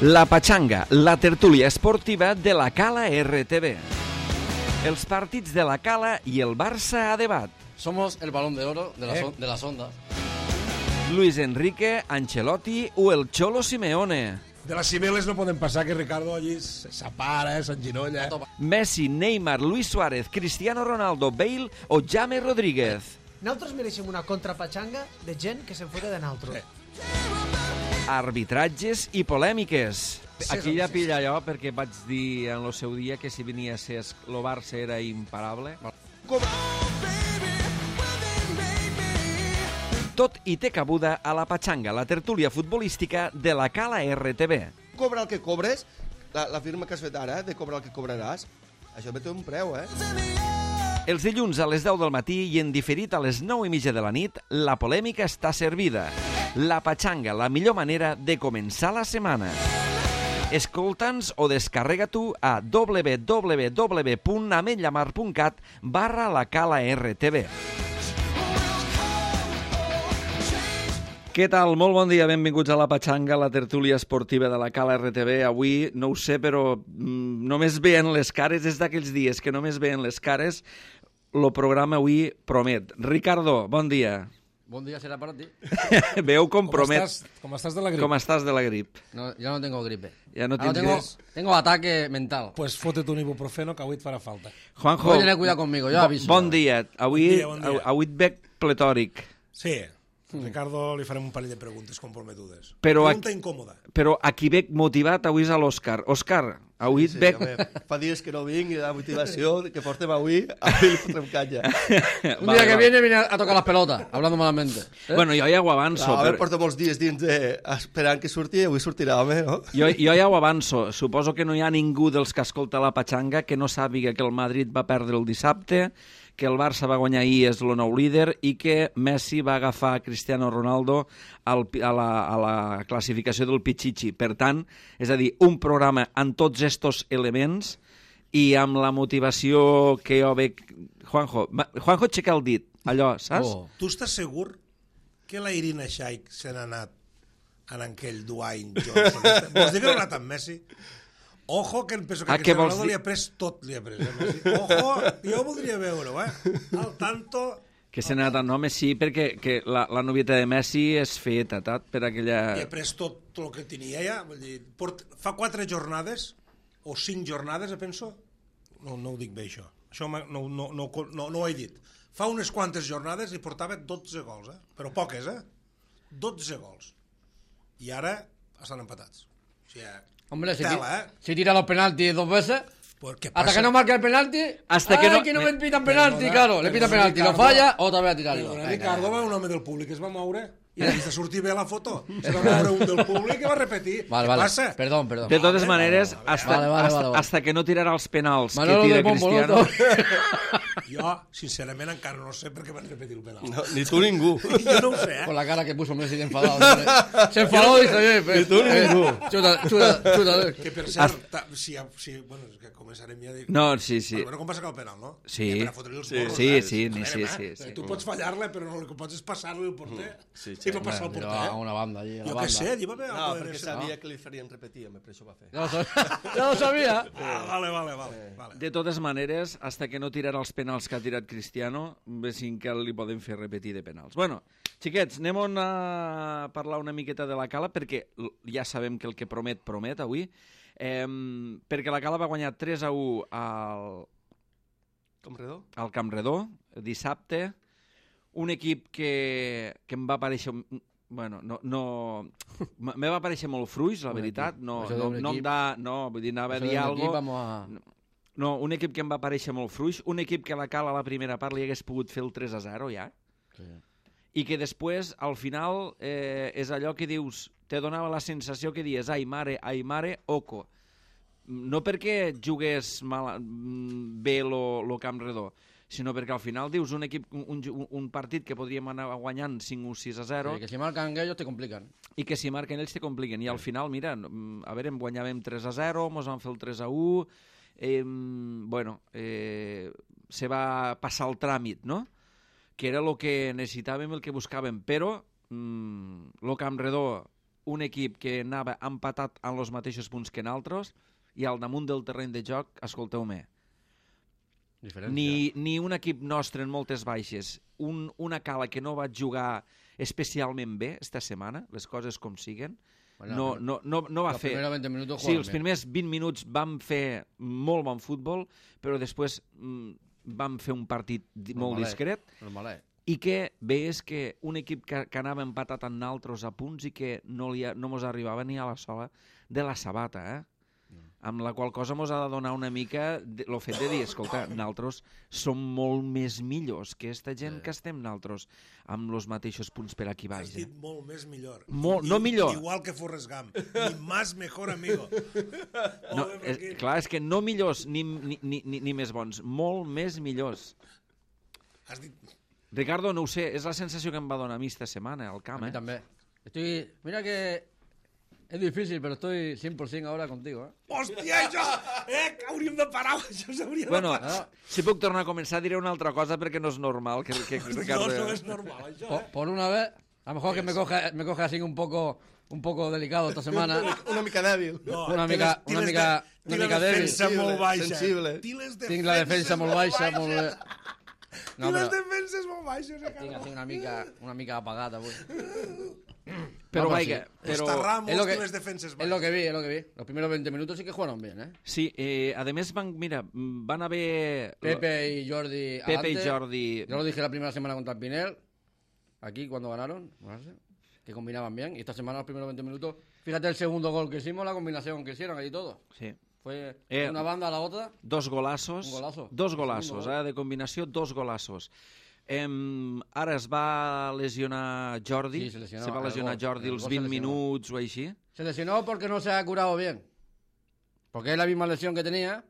La Pachanga, la tertúlia esportiva de la Cala RTV. Els partits de la Cala i el Barça a debat. Somos el balón de oro de las ondas. Luis Enrique, Ancelotti o el Cholo Simeone. De les cibeles no podem passar, que Ricardo allí s'apara, s'enginolla. Messi, Neymar, Luis Suárez, Cristiano Ronaldo, Bale o James Rodríguez. Nosaltres mereixem una contrapatxanga de gent que se'n fota de nosaltres. Arbitratges i polèmiques. Aquí ja pilla allò perquè vaig dir en el seu dia que si venia a ser el Barça era imparable. Tot i té cabuda a la Pachanga, la tertúlia futbolística de la Cala RTV. Cobra el que cobres, la firma que has fet ara, de cobrar el que cobraràs, això té un preu, Els dilluns a les 10 del matí i en diferit a les 9:30 de la nit, la polèmica està servida. La Pachanga, la millor manera de començar la setmana. Escolta'ns o descarrega tu a www.ametllamar.cat/la Cala RTV. Què tal? Molt bon dia, benvinguts a la Pachanga, la tertúlia esportiva de la Cala RTV. Avui, no ho sé, però només veient les cares, és d'aquells dies que només veient les cares, el programa avui promet. Ricardo, bon dia. Bon dia será para ti. Veu com promet. Com estàs de la grip? Com estàs de la grip? No, ya no tengo gripe. Ja no tens... Tengo ataque mental. Pues fote-te un ibuprofeno, que avui et farà falta. Juanjo, Voy a tener cuidado conmigo, yo aviso. Bon dia. Avui Bon dia. et veig pletòric. Sí, Ricardo li farem un parell de preguntes comprometudes. Però Pregunta incòmoda. Però a qui veig motivat avui és a l'Òscar. Òscar, avui et veig... home, fa dies que no vinc i la motivació que portem avui li fotrem canya. Un día que viene a tocar las pelotas, hablando malamente. Bueno, jo ja ho avanço. A veure, porto molts dies dins esperant que surti i avui sortirà, home, no? Jo ja ho avanço. Suposo que no hi ha ningú dels que escolta la Pachanga que no sàpiga que el Madrid va perdre el dissabte, que el Barça va guanyar ahir, és el nou líder, i que Messi va agafar Cristiano Ronaldo a la classificació del Pichichi. Per tant, és a dir, un programa amb tots estos elements i amb la motivació que jo veig... Juanjo, aixeca el dit, allò, saps? Oh. Tu estàs segur que la Irina Shayk se n'ha anat en aquell Dwayne Johnson? Vols dir que no ha anat amb Messi? Ojo, que penso que Cristiano Ronaldo li ha pres tot, Messi. Ojo, jo voldria veure-ho, Al tanto... Que se n'ha anat, no, Messi, perquè que la novieta de Messi és feta, per aquella... Li ha pres tot el que tenia ja. Vull dir, fa 4 jornades, o 5 jornades, penso. No ho dic bé, això. Això no ho he dit. Fa unes quantes jornades i portava 12 gols, però poques, 12 gols. I ara estan empatats. O sigui, Hombre, tela, si tira los penaltis 2 veces, pues, ¿qué hasta pasa? que no marque el penalti, Hasta que no me pitan penalti, claro, le pitan penalti, lo Ricardo, falla, otra vez a tirarlo. Ricardo va un home del públic, es va moure i ha vist a sortir bé la foto. Se va moure un del públic i va repetir. Vale, Què passa? Perdón. De totes maneres, Vale. hasta que no tirarà els penals Manolo que tira del Bombo, Cristiano... Jo, sincerament, encara no sé per què van repetir el penal. No, ni tu ningú. Jo no ho sé, Con la cara que puso Messi de enfadado. Se enfadó y dice, Ni tu ningú. chuta. Que per cert, bueno, és que començarem ja a dir... No, sí. Bueno, com va sacar el penal, no? Sí. Per a fotre-li els morros, Sí. Tu pots fallar-la, però no, el que pots és passar-li al porter. Sí. I va passar al Pero porter. a una banda allí. Jo què sé, allí va haver... No, perquè sabia que li farien repetir, home, per això va fer. Ya lo sabía. Vale. De totes maneres, hasta que no tirarà els penals que ha tirat Cristiano, vessin que li poden fer repetir de penals. Bueno, xiquets, anem a parlar una miqueta de la Cala, perquè ja sabem que el que promet avui, perquè la Cala va guanyar 3-1 al Camp Redó dissabte, un equip que em va aparèixer... Bueno, me va aparèixer molt fluix, la veritat. Vull dir, anava a dir alguna cosa... No, un equip que em va aparèixer molt fluix, un equip que a la Cala a la primera part li hagués pogut fer el 3-0 ja, i que després, al final, és allò que dius, te donava la sensació que dius, ai mare, oco. No perquè jugués bé lo Camp Redó, sinó perquè al final dius un partit que podríem anar guanyant 5-6-0... Sí, que si marcan ellos te complican. I que si marquen ells te compliquen. I al final, mira, a veure, guanyàvem 3-0, mos van fer el 3-1... se va passar el tràmit, no? Que era el que necessitàvem, el que buscàvem, però el Camp Redó un equip que anava empatat en els mateixos punts que nosaltres i al damunt del terreny de joc, escolteu-me, ni un equip nostre en moltes baixes, una Cala que no va jugar especialment bé esta setmana, les coses com siguen, no va fer... Sí, els primers 20 minuts vam fer molt bon futbol, però després vam fer un partit molt discret, i que és que un equip que anava empatat amb naltros a punts i que no mos arribava ni a la sola de la sabata, amb la qual cosa mos ha de donar una mica el fet de dir, escolta, naltros som molt més millors que esta gent que estem naltros amb els mateixos punts per aquí baix. Has dit molt més millor. No millor. Igual que Forrest Gump. Ni más mejor amigo. Clar, és que no millors ni més bons, molt més millors. Has dit... Ricardo, no ho sé, és la sensació que em va donar a mi esta setmana al camp. A mi també. Mira que es difícil, pero estoy 100% ahora contigo. Hòstia, això! Que hauríem de parar, això s'hauria de parar. Bueno, si puc tornar a començar, diré una altra cosa perquè no és normal que Ricardo... No és normal, això, Por una vez, a lo mejor que me coge así un poco delicado esta semana. Una mica débil. Una mica débil. Molt baixa. Sensible. Tinc la defensa molt baixa, molt bé. No, les defenses molt baixes. Tinc así una mica apagada avui. Pero vaya, les defenses baixes. Es lo que vi. Los primeros 20 minutos sí que jugaron bien, ¿eh? Sí, además van a haber... Pepe y Jordi Pepe y Jordi... Yo lo dije la primera semana contra el Pinel, aquí cuando ganaron, que combinaban bien. Y esta semana, los primeros 20 minutos, fíjate el segundo gol que hicimos, la combinación que hicieron ahí todo. Sí. Fue una banda a la otra. Dos golazos. Un golazo. Dos golazos, de combinació, dos golazos. Ara es va lesionar Jordi. Sí, se va lesionar Jordi els 20 minuts o així. Se lesionó porque no se ha curado bien. Porque es la misma lesión que tenía.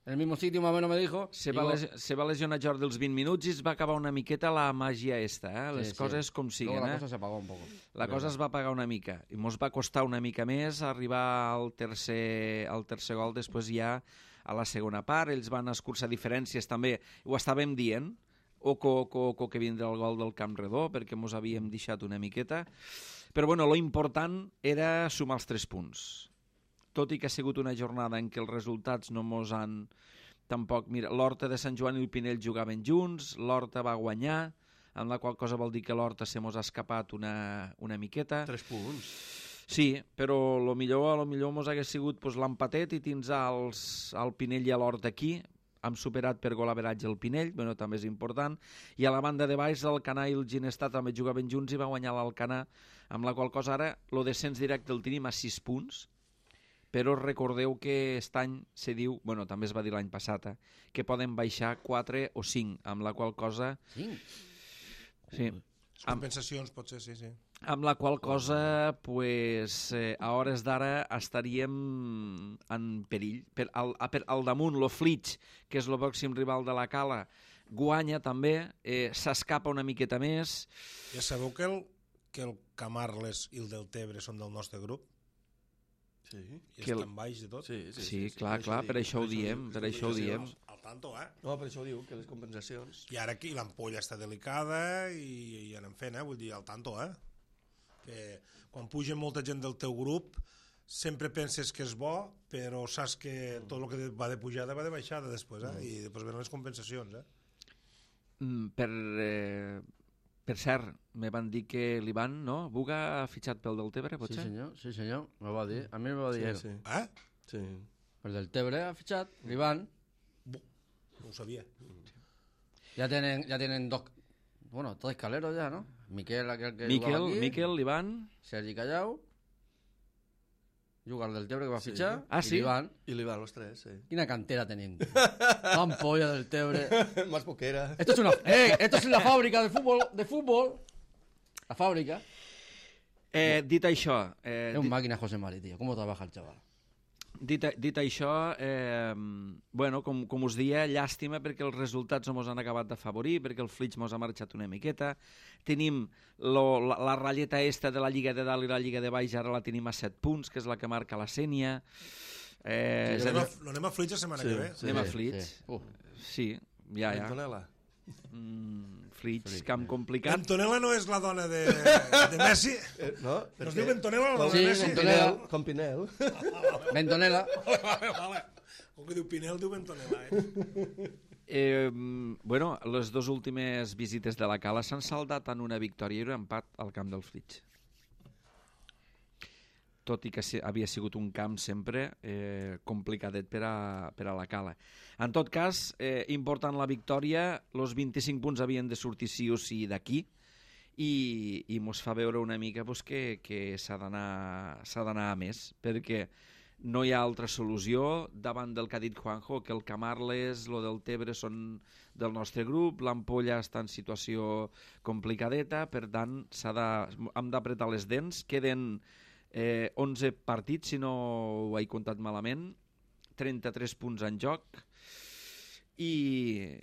En el mismo sitio, más o menos me dijo. Se va lesionar Jordi els 20 minuts i es va acabar una miqueta la màgia esta, Les coses com siguen, Luego la cosa se apagó un poco. La cosa es va apagar una mica. I mos va costar una mica més arribar al tercer gol, després ja a la segona part. Ells van escurçar diferències també. Ho estàvem dient. Oco que vindrà el gol del Camp Redó, perquè mos havíem deixat una miqueta. Però bueno, lo important era sumar els 3 punts. Tot i que ha sigut una jornada en què els resultats no mos han... Tampoc, mira, l'Horta de Sant Joan i el Pinell jugaven junts, l'Horta va guanyar, amb la qual cosa vol dir que l'Horta se mos ha escapat una miqueta. 3 punts. Sí, però lo millor mos hagués sigut l'empatet i tindre al Pinell i a l'Horta aquí. Hem superat per golaveratge el Pinell, bueno, també és important, i a la banda de baix l'Alcanar i el Ginestar també jugaven junts i va guanyar l'Alcanar, amb la qual cosa ara el descens directe el tenim a 6 punts, però recordeu que aquest any se diu, bueno, també es va dir l'any passat, que poden baixar 4 o 5, amb la qual cosa... 5? Sí. Compensacions, potser, sí. Amb la qual cosa, pues, a hores d'ara estaríem en perill. Al damunt, lo Flix, que és el pròxim rival de la Cala, guanya també, s'escapa una miqueta més. Ja sabeu que el Camarles i el Deltebre són del nostre grup? Sí. I estan baix de tot? Sí, clar, per això ho diem, Al tanto, No, per això ho diu, que les compensacions... I ara aquí l'ampolla està delicada i anem fent, vull dir, al tanto, que quan puja molta gent del teu grup sempre penses que és bo, però saps que tot el que va de pujada va de baixada després, i després venen les compensacions, Per cert, me van dir que l'Ivan, no? Buga ha fitxat pel Deltebre, potser? Sí, senyor, me va dir. A mi me va dir sí. Sí. El Deltebre ha fitxat, l'Ivan. No ho sabia. Ya tienen dos, bueno, 3 caleros ya, ¿no? Miquel, aquel que jugaba aquí. Miquel, l'Ivan. Sergi Callau. Juga el Deltebre que va fitxar. Sí? I l'Ivan, los 3, sí. Quina cantera tenim. Ampolla del Tebre. Más poquera. Esto es la fábrica de fútbol. La fábrica. Dit això... Es un máquina José Mari, tío. ¿Cómo trabaja el chaval? Dit això, bueno, com us dia, llàstima perquè els resultats no mos han acabat d'afavorir, perquè el Flix mos ha marxat una miqueta. Tenim la ratlleta esta de la Lliga de Dalt i la Lliga de Baix, ara la tenim a 7 punts, que és la que marca la Sènia. Anem a Flix la setmana que ve. Anem a Flix. Sí, ja. Antonella. Flix, camp complicat. Bentonela no és la dona de Messi? No? No es diu Bentonela, la dona Sí, de Messi? Bentonela. Com Pinel. Bentonela. Vale. Com que diu Pinel, diu Bentonela, Bueno, les dues últimes visites de la Cala s'han saldat en una victòria i un empat al camp del Flix. Tot i que havia sigut un camp sempre complicadet per a la Cala. En tot cas, important la victòria, els 25 punts havien de sortir sí o sí d'aquí, i mos fa veure una mica pues, que s'ha d'anar a més, perquè no hi ha altra solució davant del que ha dit Juanjo, que el Camarles, lo del Tebre són del nostre grup, l'Ampolla està en situació complicadeta, per tant hem d'apretar les dents, queden 11 partits, si no ho he comptat malament, 33 punts en joc, i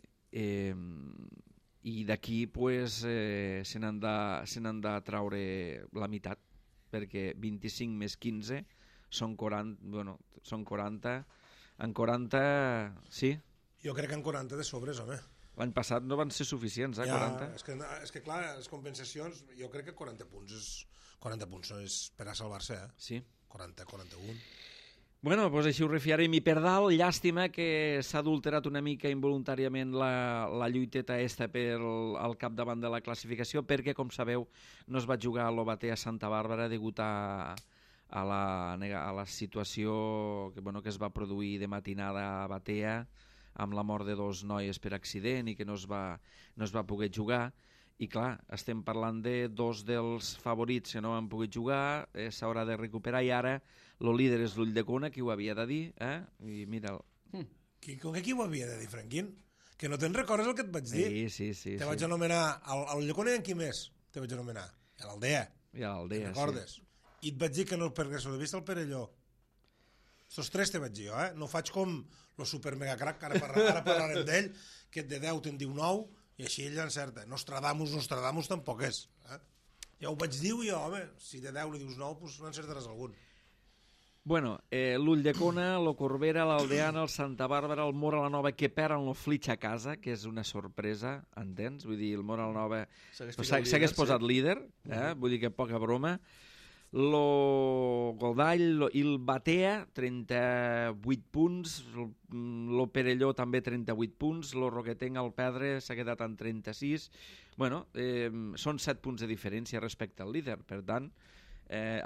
d'aquí pues, se n'han de traure la meitat, perquè 25 més 15 són 40, bueno, són 40, en 40, sí? Jo crec que en 40 de sobres, home. L'any passat no van ser suficients, 40? És que clar, les compensacions, jo crec que 40 punts és per a salvar-se, Sí. 40, 41. Bueno, doncs així ho refiarem. I per dalt, llàstima que s'ha adulterat una mica involuntàriament la lluiteta al capdavant de la classificació, perquè, com sabeu, no es va jugar a l'Obatea a Santa Bàrbara degut a la situació que es va produir de matinada a Batea, amb la mort de 2 noies per accident i que no es va poder jugar. I clar, estem parlant de 2 dels favorits que no han pogut jugar, s'haurà de recuperar, i ara el líder és l'Ulldecona, qui ho havia de dir, i mira'l. Com que qui ho havia de dir, Franquín? Que no te'n recordes el que et vaig dir? Sí. Te vaig anomenar a l'Ulldecona i en qui més te vaig anomenar? A l'Aldea. I a l'Aldea, Te'n recordes? I et vaig dir que no el perdés de vista el Perelló. Estos 3 te vaig dir jo, No faig com el super mega crack, que ara parlarem d'ell, que de 10 te'n diu 9, i així ell encerta. Nostradamus tampoc és. Ja ho vaig dir jo, home, si de 10 li dius 9, doncs no encertaràs algun. Bueno, l'Ulldecona, el Corbera, l'Aldeana, el Santa Bàrbara, el Mora la Nova, que perden el Flix a casa, que és una sorpresa, entens? Vull dir, el Mora la Nova s'hagués posat líder, vull dir que poca broma. Lo Godall i el Batea, 38 punts, lo Perelló també 38 punts, lo Roquetenc al perdre s'ha quedat en 36. Bueno, són 7 punts de diferència respecte al líder, per tant,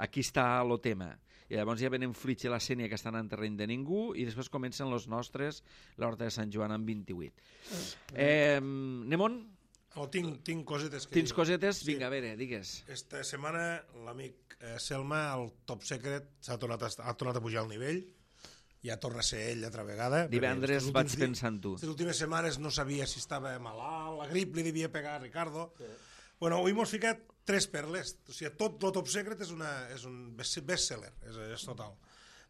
aquí està el tema. I llavors ja venen Flix i la Sénia, que estan en terreny de ningú, i després comencen els nostres, l'Horta de Sant Joan amb 28. Anem on? Tinc cosetes. Tens cosetes? Vinga, a veure, digues. Esta setmana l'amic Selma, el Top Secret, ha tornat a pujar al nivell. Ja torna a ser ell altra vegada. Divendres vaig pensar en tu. Les últimes setmanes no sabia si estava malalt, la grip li devia pegar a Ricardo. Sí. Bueno, avui m'has ficat 3 perles. O sigui, tot el Top Secret és un bestseller, és total.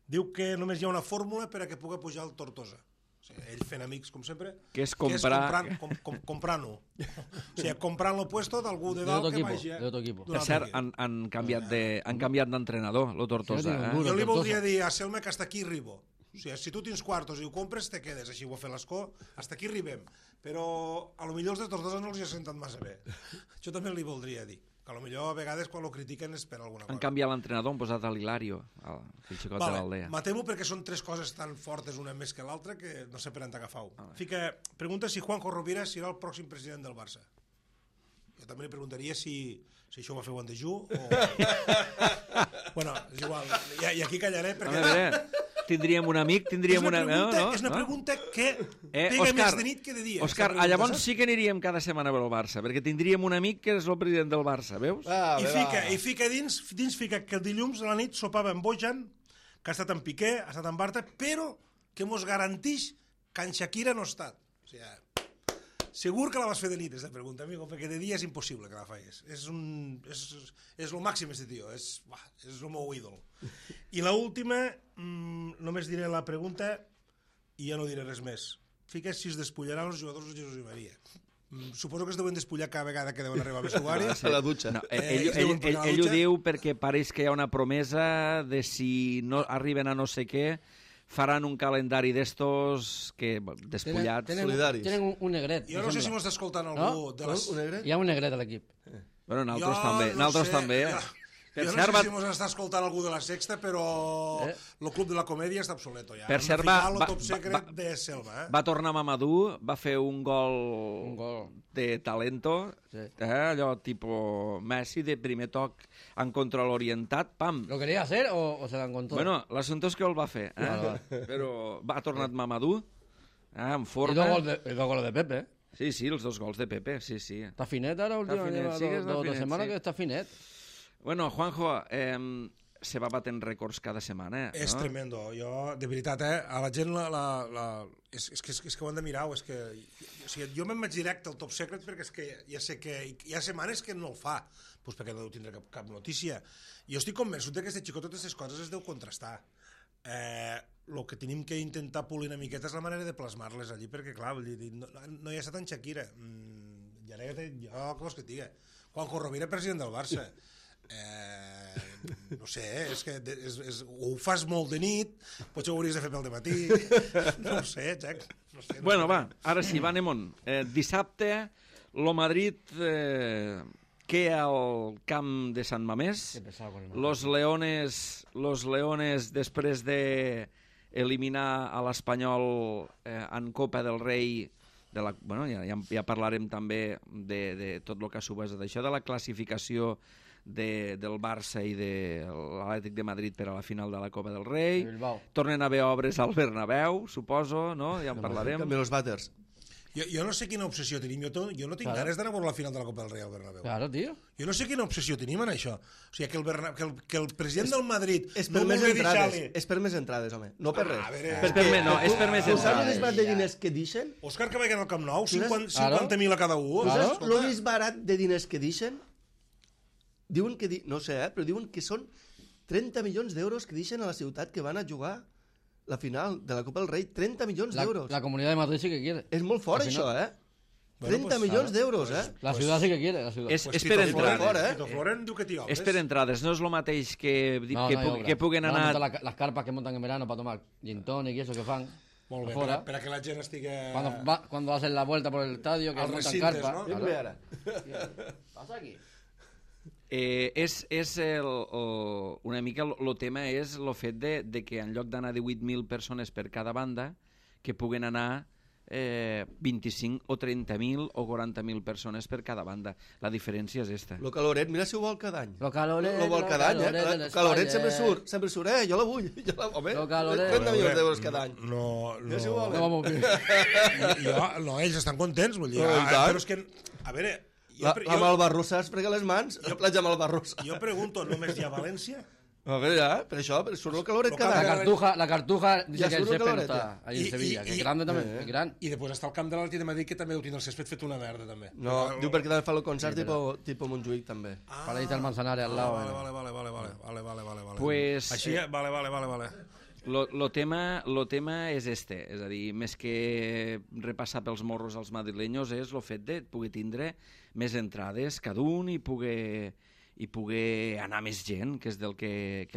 Diu que només hi ha una fórmula per a que pugui pujar el Tortosa. O sigui, ell fent amics, com sempre, que és comprar... comprant-ho. O sigui, comprant l'opuesto d'algú de dalt que vagi... Per cert, han canviat d'entrenador, el Tortosa. Jo li voldria dir a Selma que hasta aquí arribo. O sigui, si tu tens quartos i ho compres, te quedes. Així ho ha fet l'Escó, hasta aquí arribem. Però a lo millor els de Tortosa no els hi ha sentat massa bé. Jo també li voldria dir. Que a lo millor a vegades quan ho critiquen és per alguna cosa. Han canviat l'entrenador, han posat l'Hilario, el xicot de l'Aldea. Matem-ho perquè són 3 coses tan fortes una més que l'altra que no sé per on t'agafau. Pregunta si Juanjo Rovira serà el pròxim president del Barça. Jo també li preguntaria si això ho va fer Juan de Ju o... Bueno, és igual. I aquí callaré perquè... Tindríem un amic, tindríem una... És una pregunta que pega més de nit que de dia. Òscar, llavors sí que aniríem cada setmana a veure el Barça, perquè tindríem un amic que és el president del Barça, veus? I fica dins que el dilluns a la nit sopava amb Bojan, que ha estat en Piqué, ha estat en Bartra, però que mos garantix que en Shakira no ha estat. O sigui, segur que la vas fer de nit, aquesta pregunta, amigo, perquè de dia és impossible que la facis. És el màxim, este tio, és el meu ídol. I l'última, només diré la pregunta i ja no diré res més. Fiques si es despullaran els jugadors de Jesús i Maria. Suposo que es deuen despullar cada vegada que deuen arribar a vestuari. A la dutxa. No, ell ho diu perquè pareix que hi ha una promesa de si no arriben a no sé què, faran un calendari d'estos que, despullats. Solidaris. Tenen un negret. Jo no sé si m'està escoltant algú de les... Un negre? Hi ha un negret a l'equip. Bueno, nosaltres també. Nosaltres també. Jo no sé si ens està escoltant algú de la Sexta, però el Club de la Comèdia està obsoleto ja. Per cert, el Top Secret de Selva. Va tornar Mamadou, va fer un gol de talento, allò tipus Messi, de primer toc en control orientat, pam. ¿Lo quería hacer o se lo encontró? Bueno, l'assumpte és que el va fer, però ha tornat Mamadou, en forma. I dos goles de Pepe, Sí, els 2 gols de Pepe, sí. Està finet ara últimament, finet, sí que està finet, setmana sí. que està finet. Bueno, Juanjo, se va batent rècords cada setmana, És tremendo. Jo, de veritat, a la gent és que ho han de mirar. És que, o sigui, jo me'n vaig directe al Top Secret perquè és que ja sé que hi ha setmanes que no el fa, doncs perquè no deu tindre cap notícia. Jo estic convençut que aquest xicot totes aquestes coses es deu contrastar. El que tenim que intentar polir una miqueta és la manera de plasmar-les allí, perquè clar, no hi ha estat en Shakira, jo què vols que et digui, Juanjo Rovira, president del Barça, no sé, és que ho fas molt de nit, potser ho hauries de fer pel dematí, no ho sé, Jack, no sé. Bueno, va, ara sí, va, anem-on. Dissabte, lo Madrid queda al camp de Sant Mamés. Los Leones, després de eliminar a l'Espanyol en Copa del Rei, bueno, ja parlarem també de tot el que ha suposat d'això, de la classificació del Barça i de l'Atlètic de Madrid per a la final de la Copa del Rei. Tornen a haver obres al Bernabéu, suposo, no? Ja en parlarem. També els vàters. Jo no sé quina obsessió tenim, jo no tinc ganes d'anar a veure la final de la Copa del Rei al Bernabéu. Claro, tío. Jo no sé quina obsessió tenim en això. O sigui, que el president del Madrid és per més entrades. És per més entrades, home. No per res. És per més entrades. Saps el entrades. de diners que deixen? Òscar que vagin al Camp Nou, 50.000 a cada un. Saps el més barat de diners que deixen? Diuen que, no sé, però diuen que són 30 milions d'euros que deixen a la ciutat que van a jugar la final de la Copa del Rei. 30 milions d'euros. La Comunidad de Madrid sí que quiere. És molt fort, això, 30 milions d'euros, La ciudad sí que quiere, la ciudad. És per entrades. Tito Floren diu que t'hi obres. És per entrades, no és el mateix que puguen anar... Las carpas que montan en verano para tomar gin tonic y eso que fan. Molt bé, per a que la gent estigui... Cuando hacen la vuelta por el estadio, que montan carpas. ¿no? Claro. Ara. Pasa aquí. Una mica el tema és el fet de que en lloc d'anar 18.000 persones per cada banda, que puguen anar 25 o 30.000 o 40.000 persones per cada banda. La diferència és esta. Lo Caloret, mira si ho vol cada any. Lo Caloret, lo vol cada any, Lo Caloret sempre surt, jo la vull. Home, Lo Caloret. 30 milions d'euros cada any. No, si ho vol. No vamos bien. No, ells estan contents, vull dir. Però és que, a veure... La Malvarrossa es frega les mans, la platja Malvarrossa. Jo pregunto, només hi ha València? A veure, ja, per això, surt el Caloret cada any. La Cartuja dice Ja que el surt el césped no Caloret, está allí en Sevilla, que es grande també, és gran. I després està el camp de l'Atlètic de Madrid, que també ho tindrà el césped fet una merda, també. No, diu perquè també fa el concert tipus Montjuïc, també. Para irte al Manzanares al lado. Vale. Pues, així, vale. Lo tema és este, és a dir, més que repassar pels morros als madrilenyos és el fet de poder tindre més entrades cada un i poder anar més gent, que és del que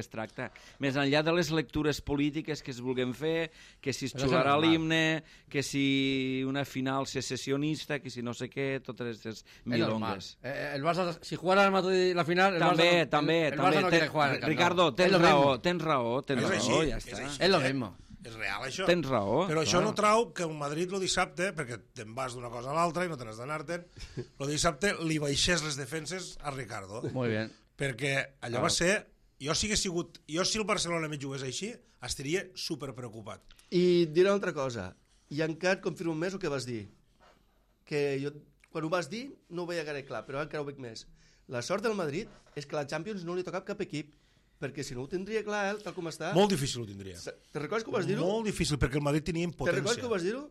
es tracta. Més enllà de les lectures polítiques que es vulguem fer, que si es xularà l'himne, que si una final secessionista, que si no sé què, totes aquestes milongues. El Barça, si jugara al Madrid la final, el Barça no quiere jugar. Ricardo, tens raó, ja està. És lo mismo. És real, això. Tens raó. Però això no trau que el Madrid el dissabte, perquè te'n vas d'una cosa a l'altra i no te n'has d'anar-te'n, el dissabte li baixés les defenses a Ricardo. Muy bien. Perquè allò va ser... Jo si el Barcelona me jugués així, estaria superpreocupat. I diré una altra cosa. I encara et confirmo més el que vas dir. Que jo, quan ho vas dir, no ho veia gaire clar, però encara ho veig més. La sort del Madrid és que la Champions no li toca cap equip, perquè si no ho tindria clar, tal com està... Molt difícil ho tindria. Te recordes que ho vas dir-ho? Molt difícil, perquè el Madrid tenia impotència. Te recordes que ho vas dir-ho?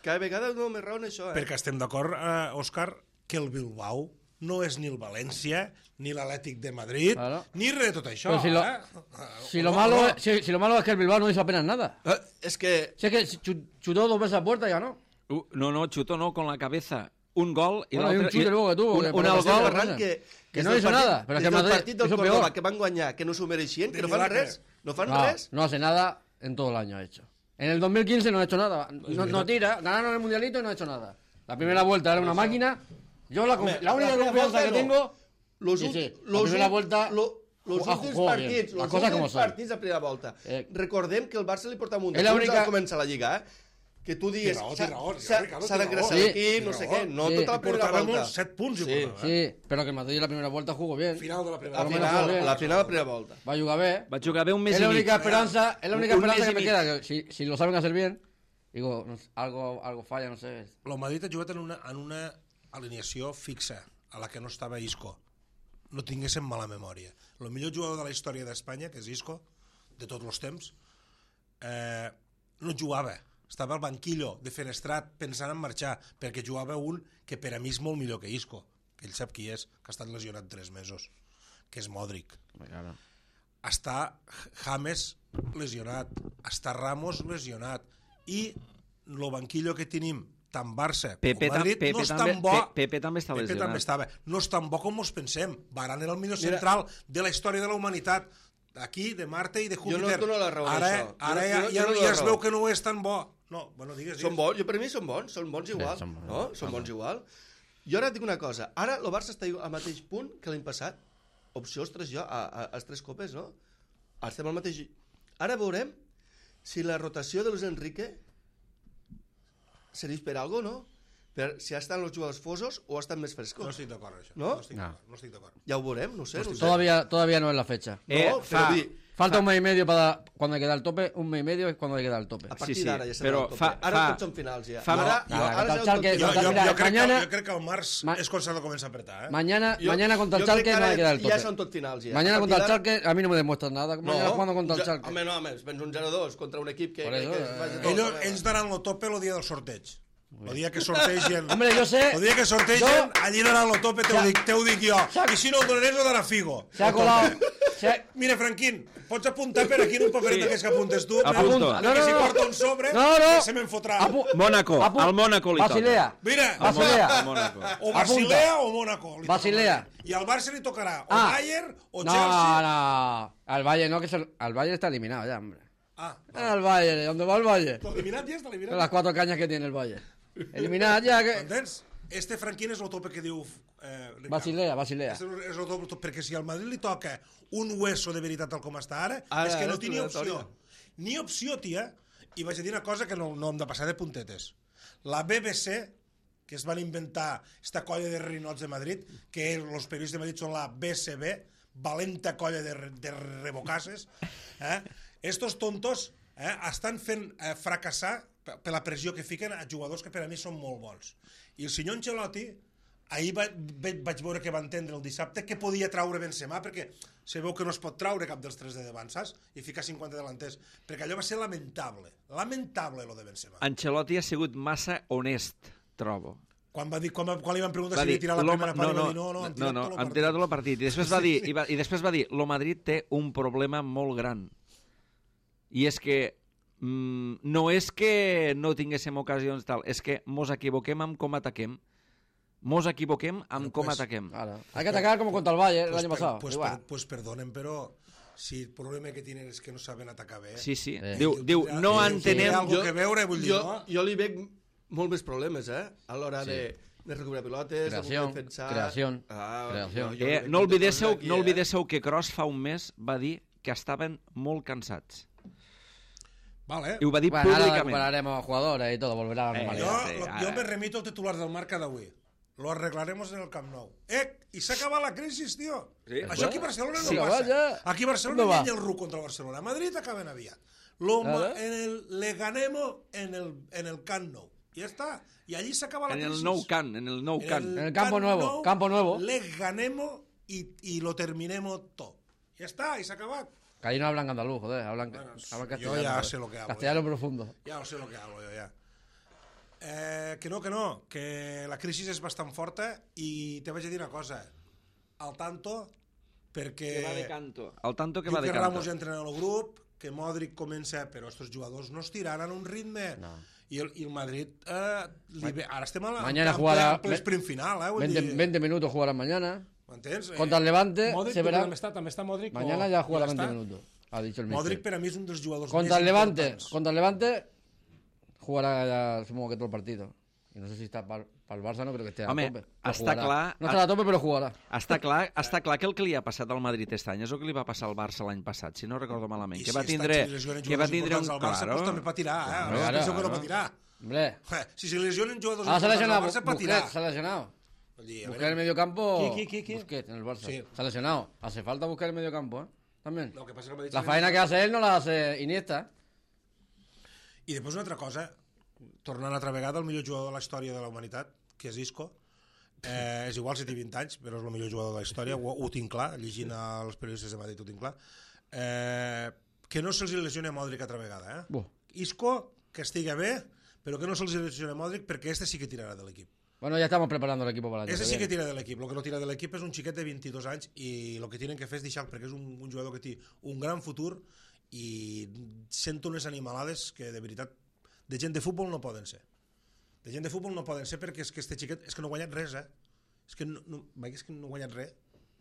Cada vegada no més raó en això, Perquè estem d'acord, Òscar, que el Bilbao no és ni el València, ni l'Atlètic de Madrid, ni res de tot això. Si lo malo es que el Bilbao no hizo apenas nada. Es que... Si es que chutó 2 veces a puerta y ganó. No, chutó no, con la cabeza. Un gol y un chute luego que tuvo. Un gol que no hizo nada. Però des del partit del Córdoba que van guanyar, que no s'ho mereixien, que no fan res. No fan res. No hace nada. en todo el año ha hecho. En el 2015 no ha hecho nada. No tira, ganaron el mundialito y no ha hecho nada. La primera vuelta era una máquina. Yo la única confianza que tengo... La primera vuelta... Los últims partits, partits de primera volta. Recordem que el Barça li porta amunt de punts al començar la Lliga, que tu digues s'ha d'engressar l'equip, no sé què, no tota la primera volta. 7 punts. Sí, però que el Madrid la primera volta jugó bien. Final de la primera volta. La final de la primera volta. Va jugar bé. Va jugar bé un mes y medio. Es la única esperanza que me queda, que si lo saben hacer bien, digo, algo falla, no sé. El Madrid ha jugat en una alineació fixa, a la que no estava Isco. No tinguéssim mala memòria. El millor jugador de la història d'Espanya, que és Isco, de tots els temps, no jugava. Estava al banquillo de Fenestrat pensant en marxar, perquè jugava un que per a mi és molt millor que Isco, que ell sap qui és, que ha estat lesionat 3 mesos, que és Modric. Està James lesionat, està Ramos lesionat, i el banquillo que tenim tant Barça com Madrid no és tan bo. Pepe també està lesionat. Pepe també estava. No és tan bo com ens pensem. Varane era el millor central de la història de la humanitat. D'aquí, de Marte i de Júpiter. Jo no et dono la raó d'això. Ara ja es veu que no és tan bo. No, bueno, digues. Són bons, per mi són bons igual. Són bons igual. Jo ara et dic una cosa. Ara el Barça està al mateix punt que l'any passat. Opció als 3 copes, no? Estem al mateix... Ara veurem si la rotació de Luis Enrique serveix per alguna cosa, no? Per si estan els jugadors fosos o estan més frescos. No estic d'acord, això. ¿No? No estic d'acord. Ja ho veurem, no sé. Todavía no es la fecha. Falta un mes y medio para cuando hay que dar el tope, un mes y medio es cuando hay que dar el tope. A partir d'ara ja serà el tope. Ara tots són finals, ja. Jo crec que el març és quan s'ha de començar a apretar. Mañana contra el Schalke no hay que dar el tope. Ja són tots finals, ja. Mañana contra el Schalke a mí no me demuestras nada. Mañana jugando contra el Schalke. Home, no, vens un 0-2 contra un equip que... Ells daran el tope el dia del sorteig. El dia que sortegen... Hombre, yo sé... El dia que sortegen, allí daran el tope, te ho dic jo. I si no el donaré, ho darà Figo. Se ha colado... Mira, Franquín, pots apuntar per aquí en un paperet d'aquests que apuntes tu? Apunta. Que si porta un sobre, se me'n fotrà. Mónaco, al Mónaco li toca. Basilea. Mira, o Basilea o Mónaco. Basilea. I al Barça li tocarà o Bayern o Chelsea. No. Al Bayern no, que al Bayern está eliminado ya, hombre. Al Bayern, ¿dónde va el Bayern? Eliminat ja està eliminat. Las 4 cañas que tiene el Bayern. Eliminat ja que... Entens? Este Franquín és el tope que diu... Basilea. És el tope, perquè si al Madrid li toca un hueso de veritat tal com està ara, és que no té ni opció. Ni opció, tia. I vaig a dir una cosa que no hem de passar de puntetes. La BBC, que es van inventar esta colla de rinots de Madrid, que els periodistes de Madrid són la BCB, valenta colla de rebocasses, estos tontos estan fent fracassar per la pressió que fiquen a jugadors que per a mi són molt bons. I el senyor Ancelotti, ahir vaig veure que va entendre el dissabte que podia traure Benzema, perquè se veu que no es pot traure cap dels 3 de davant, saps? I ficar 50 delanters, perquè allò va ser lamentable. Lamentable, lo de Benzema. Ancelotti ha sigut massa honest, trobo. Quan li van preguntar si havia tirat la primera part, va dir no, han tirat el partit. I després va dir, lo Madrid té un problema molt gran. I és que no és que no tinguéssim ocasions tal, és que mos equivoquem amb com ataquem. Claro. Hay que atacar como contra el Bayern el año pasado. Pues perdonen, pero si el problema que tienen es que no saben atacar bé. Sí. Diu, no entenem... Té algo que veure, vull dir, no? Jo li veig molt més problemes, a l'hora de recuperar pilotes, creació. No oblidéssiu que Kroos fa un mes va dir que estaven molt cansats. Vale. I ho va dir públicament. Ahora recuperaremos jugadores y todo, volverá a la normalidad. Jo me remito al titular del Marca d'avui. Lo arreglaremos en el Camp Nou. I s'ha acabat la crisi, tio. Sí, això aquí a Barcelona no passa. Aquí a Barcelona no hi ha el RU contra el Barcelona. A Madrid acaben aviat. Le ganemos en el Camp Nou. I ja està. I allí s'acaba la crisi. En el Nou Camp. En el Campo Nuevo. Le ganemos y lo terminemos todo. Ja està, i s'ha acabat. Que ahí no hablan andaluz, joder, hablan castellano. Yo ya sé lo que hablo. Castellano profundo. Ya sé lo que hablo, yo ya. Que no, que la crisi és bastant forta i te vaig a dir una cosa. Al tanto, perquè... Que va de canto. Al tanto que va de canto. canto. Ramos ja entrena en el grup, que Modric comença, però estos jugadors no es tiraran un ritme. No. I el Madrid, ara estem a la sprint final. 20 minutos jugarán mañana. ¿M'entens? Contra el Levante Modric, se verá. També està Modric. Mañana ya jugará 20 minutos. ha dit el Modric míster. per a mi és un dels jugadors Contra el més Levante, importants. contra el Levante jugará ya, supongo que todo el partido. Y no sé si está para el Barça, no creo que esté a Home, tope. Però està jugarà. clar- No estarà a tope, però jugarà. Està clar que el que li ha passat al Madrid aquest any és el que li va passar al Barça l'any passat, si no recordo malament, I que si va tindre un... al Barça, pues també patirà, eh? Claro, Ara penseu que no claro. patirà. Hombre, Si se lesionen jugadors ah, se ha importants lesionado. al Barça, patirà. Busquets se ha lesionado. Vull dir, a Buscar veure, el medio campo. ¿Qui? Busquets en el Barça. Sí. Se ha lesionado. Hace falta buscar el medio campo, ¿eh? También. el que passa que el Madrid La se faena que hace él no la hace Iniesta. I després una altra cosa, tornant altra vegada, el millor jugador de la història de la humanitat, que és Isco, és igual si té 20 anys, però és el millor jugador de la història, ho tinc clar, llegint els periodistes de Madrid ho tinc clar, que no se'ls lesioni a Modric altra vegada. Buh. Isco, que estigui bé, però que no se'ls lesioni a Modric perquè este sí que tirarà de l'equip. Bueno, ya estamos preparando el equipo para el año Este que sí que viene. tira de l'equip. El que no tira de l'equip és un xiquet de 22 anys i el que tenen que fer és deixar, perquè és un jugador que té un gran futur i sento unes animalades que de veritat de gent de futbol no poden ser. De gent de futbol no poden ser perquè és que este xiquet és que no ha guanyat res, és que no ha guanyat res.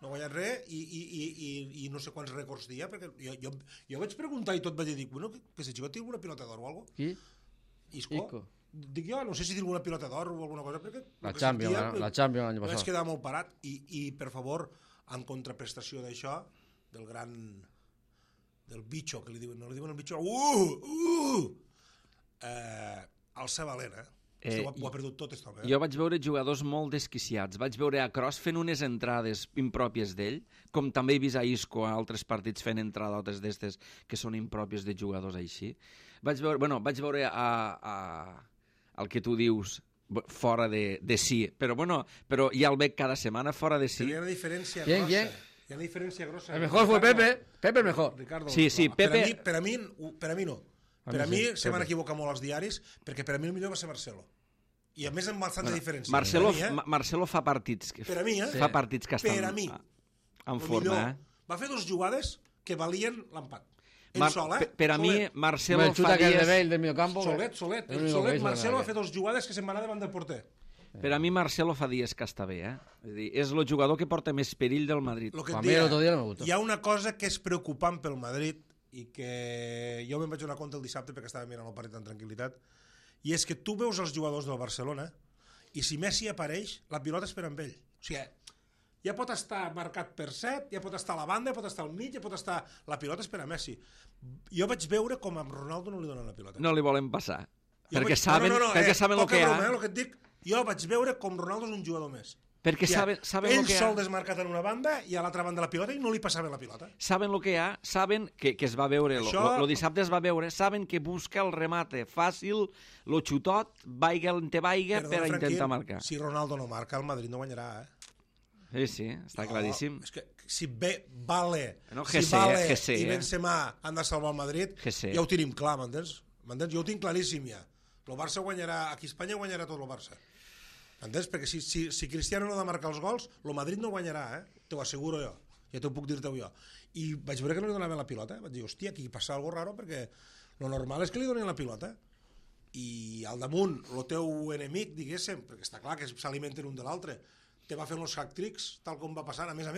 No ha guanyat res i no sé quants rècords dia, perquè jo vaig preguntar i tot vaig dir, bueno, que si xiquet té alguna pilota d'or o alguna cosa. Qui? Isco. Dic jo, no sé si té alguna pilota d'or o alguna cosa, perquè La Champions, la Champions l'any vaig passat. quedar molt parat i per favor, en contraprestació d'això, del gran del bitxo, que li diuen, no li diuen el bitxo, Alça Valent, ho ha perdut tot, aquest home. Jo vaig veure jugadors molt desquiciats. Vaig veure a Kroos fent unes entrades impròpies d'ell, com també he vist a Isco a altres partits fent entradotes d'estes que són impròpies de jugadors així. Vaig veure el que tu dius fora de sí, però ja el veig cada setmana fora de sí. Hi ha una diferència ¿Quién? grossa. Hi ha una diferència grossa. El mejor fue Pepe. Pepe el mejor. Ricardo, Sí, Pepe... Per a mi no. Per a mi se van equivocar molt els diaris, perquè per a mi el millor va ser Marcelo. I a més amb bastanta diferència. Marcelo fa partits. Per a mi, Fa partits que estan per a mi, en forma, va fer 2 jugades que valien l'empat. Ell sol, Per a mi, Marcelo El xuta fa que el de dies... Bale del medio campo. Solet. Marcelo va fer 2 jugades que se'n van anar davant del porter. Per a mi, Marcelo fa dies que està bé, És dir, és el jugador que porta més perill del Madrid. Lo que A et mí el dia, otro día no me gustó. hi ha una cosa que és preocupant pel Madrid i que jo me'n vaig donar compte el dissabte perquè estava mirant el partit amb tranquil·litat, i és que tu veus els jugadors del Barcelona i si Messi apareix, la pilota és per amb ell. O sigui, ja pot estar marcat per 7, ja pot estar a la banda, ja pot estar al mig, ja pot estar... La pilota és per a Messi. Jo vaig veure com a Ronaldo no li donen la pilota. No li volen passar. Jo Perquè vaig- saben el que hi ha. El que et dic, jo vaig veure com Ronaldo és un jugador més. Perquè saben ell el que hi ha. sol desmarcat en una banda i a l'altra banda la pilota i no li passava la pilota. Saben el que hi ha, saben que es va veure, el dissabte es va veure, saben que busca el remate fàcil, el xutot, vaiga on te vaiga, per a intentar marcar. Si Ronaldo no marca, el Madrid no guanyarà, Sí, està claríssim. És que si Vale, No, si GC, Vale GC, i Benzema han de salvar el Madrid, GC. ja ho tenim clar, m'entens? Jo ho tinc claríssim ja. El Barça guanyarà, aquí a Espanya guanyarà tot el Barça. Entens? Perquè si Cristiano no ha de marcar els gols, el Madrid no guanyarà, T'ho asseguro jo. Ja t'ho puc dir-te jo. I vaig veure que no li donaven la pilota. Vaig dir, hòstia, aquí passa algo raro perquè lo normal és que li donin la pilota. I al damunt, el teu enemic, diguéssim, perquè està clar que s'alimenten un de l'altre, te va fer els hack-tricks, tal com va passar. A més,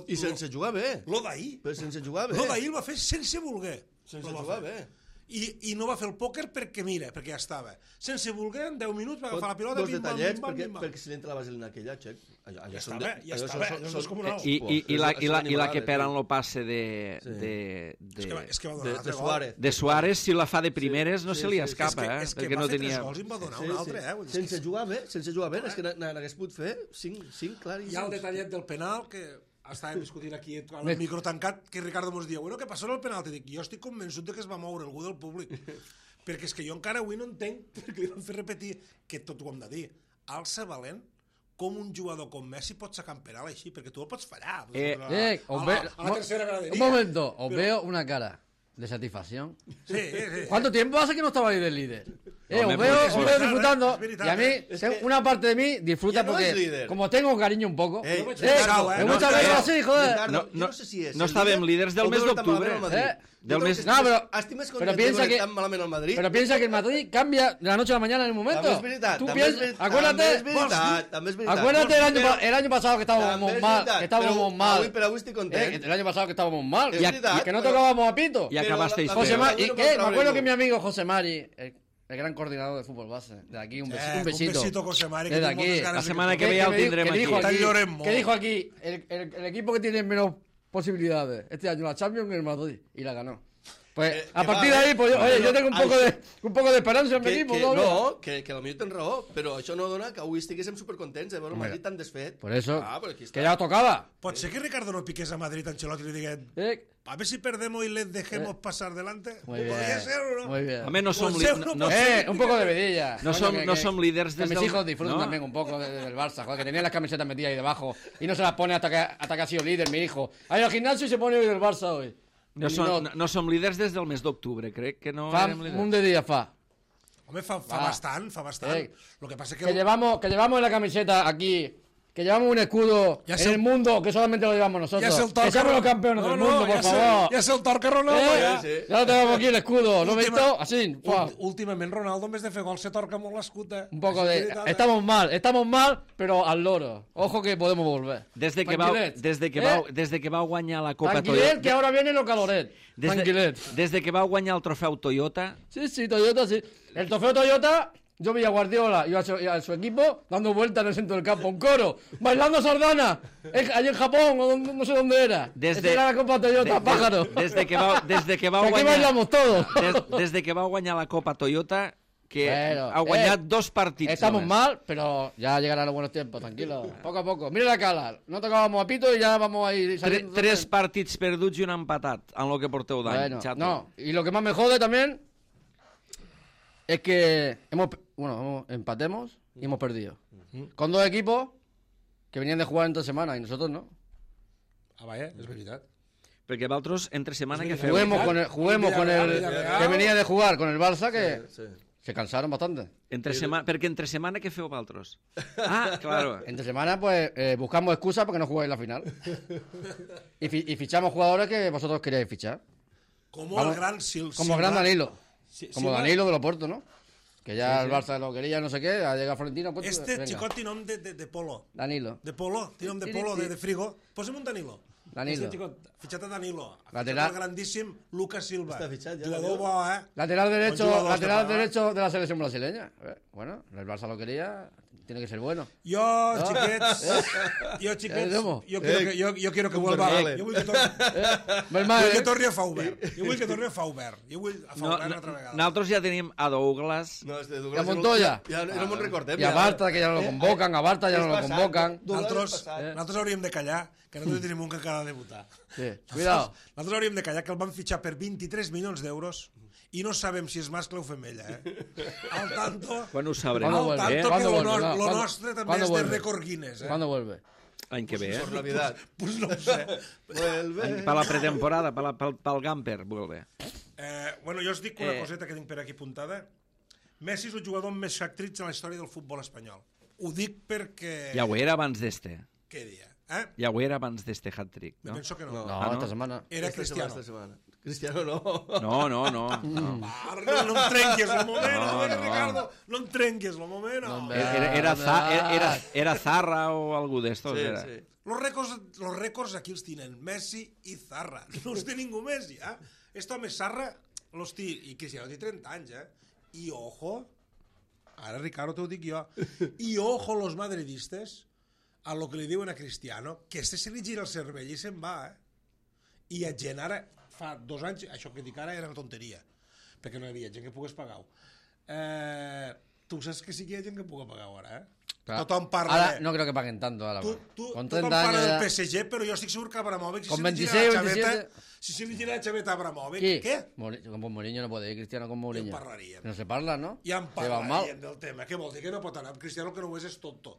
I sense jugar bé. lo d'ahir. Però sense jugar bé. Lo d'ahir el va fer sense voler. Sense jugar bé. I no va fer el pòquer perquè, mira, perquè ja estava. Sense voler, en 10 minuts va agafar la pilota, Dos detallets, perquè si l'entra la vaselina aquella, xec. Ja estava, allò és com una ou. I la que peren lo passe És que va donar un altre gol. de Suárez, si la fa de primeres, no se li escapa, És que perquè va no fer 3 tenia... gols i en va donar un altre, Sense jugar bé, és que n'hagués pogut fer 5 claríssims. Hi ha el detallet del penal que estàvem discutint aquí amb el micro tancat, que Ricardo mos diu, bueno, què passó en el penalti? Dic, jo estic convençut que es va moure algú del públic, perquè és que jo encara avui no entenc perquè li van fer repetir, que tot ho hem de dir, Alça Valent, com un jugador com Messi pot sacar en penal així, perquè tu el pots fallar. A la tercera graderia. Un momento, os veo una cara. de satisfacción. Sí. ¿Cuánto tiempo hace que no estaba ahí del líder? Os Hombre, veo, porque os es veo disfrutando es verdad, y a mí, es que una parte de mí disfruta ya no es porque, líder. como tengo cariño un poco, Ey, Ricardo, me gusta verlo así, joder. Ricardo, jo no sé si és no el estàvem líder líders del o mes veure tan d'octubre. malament el Madrid. Del Jo mes- crec que No, però- estimes però content piensa de veure que- tan malament el Madrid. Pero piensa que el Madrid cambia de la noche a la mañana en el momento. També és veritat, Tú també és piensas- veritat, acuérdate, també és veritat. acuérdate el año pasado que estábamos També és mal, veritat, que estábamos mal. Però avui estic content. El año pasado que estábamos mal, És veritat, que no però- tocábamos a pito. I acabasteis José feo. Mari, no ¿qué? contra Me acuerdo ningú. que mi amigo José Mari, el gran coordinador de fútbol base, de aquí un besito. Un besito, José Mari, que Desde tinc aquí. moltes ganes La de setmana que torni. ve ja el me dijo- tindrem que aquí. dijo Está llorent molt. que dijo aquí, el equipo que tiene menos posibilidades este año la Champions es el Madrid y la ganó. Pues a que partir va, de ahí, pues oye, yo tengo un poco de esperanza en mi Que, equipo. que, doble. no, que potser tens raó, però això no dona que avui estiguéssim supercontents de veure el Madrid tan desfet. Por eso, Però aquí està. que ya tocaba. Pot ser que Ricardo no piqués a Madrid a Ancelotti y le diga a ver si perdemos y les dejemos pasar delante. Muy bien. Podría ser o no. Muy bien. Home, no som, Pot ser, no, no no, pot ser. Un poco de vidilla. No Coño, som- no som líders que des mis del- hijos disfruten no. también un poco del Barça, joder, que tenían las camisetas metidas ahí debajo y no se las pone hasta que ha sido líder, mi hijo. Ha ido al gimnasio y se pone hoy del Barça hoy. no som líders des del mes d'octubre, crec que no Fa érem líders. un de día fa. Hombre, fa Va. bastant. Lo que pasa es que... Que llevamos en la camiseta aquí, que llevamos un escudo Ya en se- el mundo que solamente lo llevamos nosotros. Ya es el Que somos los campeones del mundo, por favor. Ya es el Torque Ronaldo, ja. Sí. Ya tenemos aquí el escudo, ¿lo he Última- visto? Así, ¡fua! Últimament Ronaldo, en vez de fer gol, se torca molt l'escut. Un poco Així de... que veritat, Estamos mal, pero al loro. Ojo que podemos volver. Des de que vau guanyar la Copa Tranquilet, que Toyota... ahora vienen los caloret. Tranquilet. Des de que vau guanyar el trofeu Toyota, Sí, Toyota, sí. El trofeo Toyota, yo vi a Guardiola y a su equipo dando vueltas en el centro del campo, un coro, bailando sardana, allí en Japón, o no sé dónde era. Desde- Esa era la Copa Toyota, pájaro. des de que vau Aquí guanyar... bailamos todos. Des de que vau guanyar la Copa Toyota, que Bueno, ha guanyat 2 partits. Estamos només. mal, pero ya llegarán los buenos tiempos, tranquilo. Poco a poco. Mira la cala, no tocábamos a pito y ya vamos a ir saliendo. 3 partits perduts i un empatat en lo que porteu d'any, Bueno, xato. no, y lo que más me jode también es que empatemos y hemos perdido. Con dos equipos que venían de jugar en 3 semanas y nosotros no. Ah, vaja, és veritat. Perquè vosaltres, entre setmana, que feu? Juguemos con el Villarreal. que venía de jugar con el Barça, que Sí. se cansaron bastante. Perquè entre setmana què feu vosaltres? Ah, claro. Entre semana, pues buscamos excusas para que no jugáis la final. Y fichamos jugadores que vosotros queríais fichar. Como Vamos, el gran Silva. Como el gran Danilo. Sí, Como Silva. Danilo de Loporto, ¿no? Que ya el Barça lo quería, no sé qué, ha llegado Florentino. Pues, Este venga, xicot té nom de polo. Danilo. De polo, té nom de polo, de frigo. Posa'm un Danilo. Danilo. Este xicot, fitxat a Danilo. Lateral. El grandíssim Lucas Silva. Està fitxat ja, Jugador Danilo. bo, Lateral derecho, Buen jugador, lateral este derecho de la selección brasileña. Bueno, el Barça lo quería, tiene que ser bueno. Jo, xiquets, ¿cómo? jo quiero que vuelva. Vale. Jo vull que torni, Mal, vull que torni a Faubert. Jo vull que torni a Faubert. Jo vull a No, Faubert no, altra vegada. nosaltres ja tenim a Douglas. No, és de Y a Douglas. Montoya. Ja no me'n recordem. Y a Barta, que ya no lo convocan, a Barta ya no lo És passat. convocan. Nosaltres hauríem de callar, que nosaltres tenim un que acaba de debutar. Sí, cuidado. Nosaltres hauríem de callar que el van fitxar per 23 milions d'euros i no sabem si és mascle o femella, Al tanto... Quan ho sabrem? ¿Cuándo Al vuelve? tanto que ¿Cuándo lo vuelve? No, lo ¿cuándo- nostre també cuándo és de vuelve? rècord Guinness, ¿Cuándo vuelve? L'any que ve, Por Navidad. Pues no ho sé. Vuelve. Per la pretemporada, pel Gamper, vuelve. Bueno, jo us dic una coseta que tinc per aquí apuntada. Messi és el jugador amb més hat-tricks en la història del futbol espanyol. Ho dic perquè... Ja ho era abans d'este. Què dia? Ja ho era abans d'este hat-trick, Me no? penso que no. No, Ah, ¿no? esta semana. Era Cristiano. Esta semana. Cristiano no. No. No em trenquis el moment, No, no. Ricardo. No em trenquis el moment. No, Era Zarra o algú d'estos, Sí, era. sí. Los rècords aquí els tenen Messi i Zarra. No els té ningú més, ja. Este home Zarra los té, i Cristiano té 30 anys, I ojo, ara Ricardo t'ho dic jo, i ojo los madridistes a lo que li diuen a Cristiano, que este se li gira el cervell i se'n va, I a gent ara, fa 2 anys, això que dic ara era una tonteria, perquè no hi havia gent que pogués pagar-ho. Tu saps que sí que hi ha gent que pugui pagar-ho ara, Claro. Tothom parla Ahora de... no creo que paguen tanto. Ahora, con 30 tothom parla años del ya... PSG, però jo estic segur que Abramovich, Con si se li gira 26, la xaveta, 27. si se li gira la xaveta a Abramovich, ¿Qué? què? Con Mourinho no puede ir, Cristiano con Mourinho. Ja en parlaríem. No se parla, ¿no? Ja en Se va mal. parlaríem del tema. Què vol dir que no pot anar? Cristiano que no ho és tonto.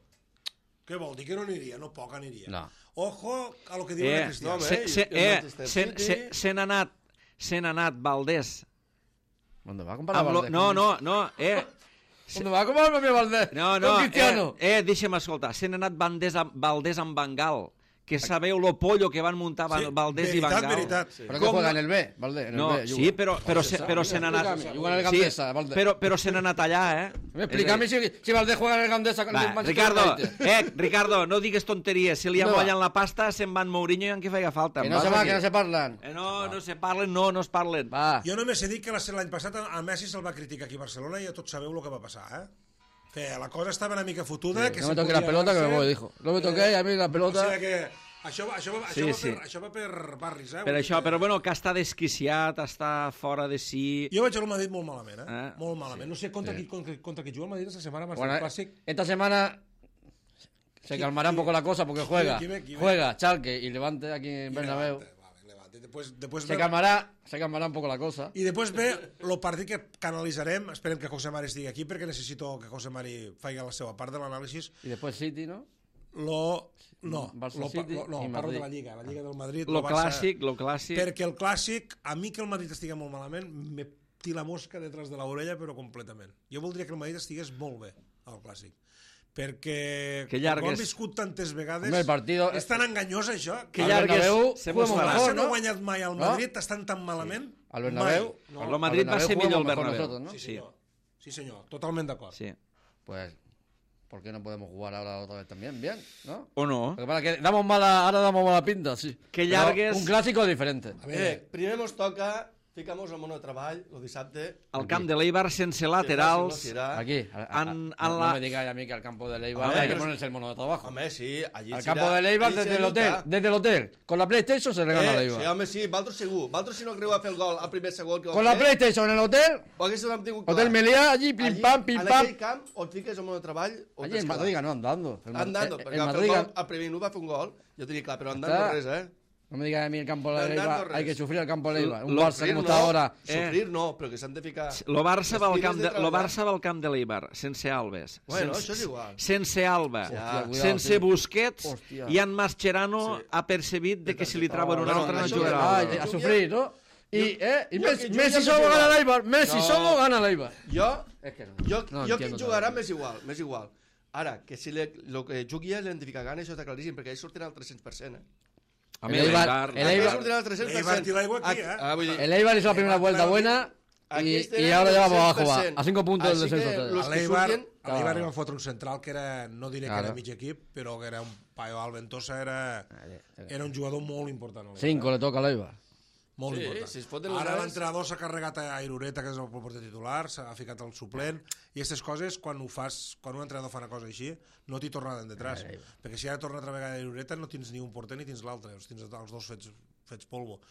Què vol dir que no aniria? No poc aniria. No. Ojo a lo que diuen a Cristiano. no, home. Se n'ha se n'ha anat Valdés. ¿Dónde va a comparar Valdés? No. ¿Dónde va a comparar Valdés? No, Con Cristiano. Deixa'm escoltar. Se n'ha anat Valdés amb Bangal. Que sabeu lo pollo que van muntar Valdés i Bangal. Veritat. Però que juega en el B, Valdés. En el B, sí, però se n'ha anat... Juga en el Gandesa, Valdés. Però se n'ha anat allà, Explícame si Valdés juega en el Gandesa con el Manchester United. Ricardo, no digues tonteries. Si li amollen la pasta, se'n van Mourinho i en què feia falta. Que no se va, que no se parlen. No se parlen, no es parlen. Va. Jo només he dit que l'any passat a Messi se'l va criticar aquí a Barcelona i ja tots sabeu el que va passar, Que la cosa estava una mica fotuda. No me toqué la pelota que me voy, dijo. No me toqué, a mí la pelota... O sigui que això va per barris, Per això, però bueno, que està desquiciat, està fora de si... Jo veig el Madrid molt malament, Molt malament. No sé contra qui juga el Madrid esta setmana, más del Clàssic. Esta semana se calmará un poco la cosa porque juega Schalke y Levante aquí en Bernabéu. Després se calmarà un poco la cosa. I després ve el partit que analitzarem. Esperem que José Mari estigui aquí perquè necessito que José Mari faci la seva part de l'anàlisi. I després City, no? Parlo de la Lliga del Madrid. Lo clàssic. Perquè el clàssic, a mi que el Madrid estigui molt malament, me tira la mosca detrás de l'orella, però completament. Jo voldria que el Madrid estigués molt bé al clàssic. Perquè ho han viscut tantes vegades, és tan enganyós això. Que llargues, el Barça no ha guanyat mai al Madrid, estan tan malament. Al Bernabéu. El Madrid va ser millor al Bernabéu. Sí, senyor, totalment d'acord. Pues... ¿por qué no podemos jugar ahora otra vez también? Bien, ¿no? ¿O no? Porque para que damos mala pinta, sí. Que llargues... Un clásico diferente. A veure, primer mos toca... Ficamos al món de treball, el dissabte... Al camp de l'Eibar, sense laterals... Aquí. No me digáis a mí que al campo de l'Eibar hay que ponerse el mono de trabajo. Home, sí, allí al campo de l'Eibar desde el hotel. Con la PlayStation se le gana a l'Eibar. Sí, home, sí, Valtro segur. Valtro si no creu a fer el gol al primer segon... Con la PlayStation en el hotel... Hotel Meliá, allí, pim pam. En aquell camp, on fiques el món de treball... Allí en Madrid ganó andando. Andando, perquè al primer no va fer un gol, jo t'ho dic clar, però andando res, No me digas a mí el campo de Leiva, hay que sufrir el campo de Leiva. Un Barça como está ahora. Sufrir no, però que s'han de ficar... Lo Barça va al camp de l'Eibar, sense Alves. Bueno, això és igual. Sense Alba, sense Busquets, i en Mascherano ha percebit que si li trauen un altre no jugarà. A sufrir, ¿no? Y Messi solo gana l'Eibar. Messi solo gana l'Eibar. Jo qui jugarà m'és igual. Ara, que si el que jugui és l'identificar gana, això està claríssim, perquè ells sortiran al 300%, El Eibar hizo la primera vuelta buena y ahora ya vamos abajo, a 5 puntos del descenso. A l'Eibar li van fotre un central que era, no diré que era mig equip, però que era un paio Alventosa, era un jugador molt important. 5 le toca a l'Eibar. Molt important. Ara l'entrenador s'ha carregat a Irureta, que és el porter titular, s'ha ficat el suplent, i aquestes coses, quan un entrenador fa una cosa així, no t'hi torna detrás. Perquè si ara torna altra vegada a Irureta, no tens ni un porter ni tens l'altre, tens els dos fets polvo.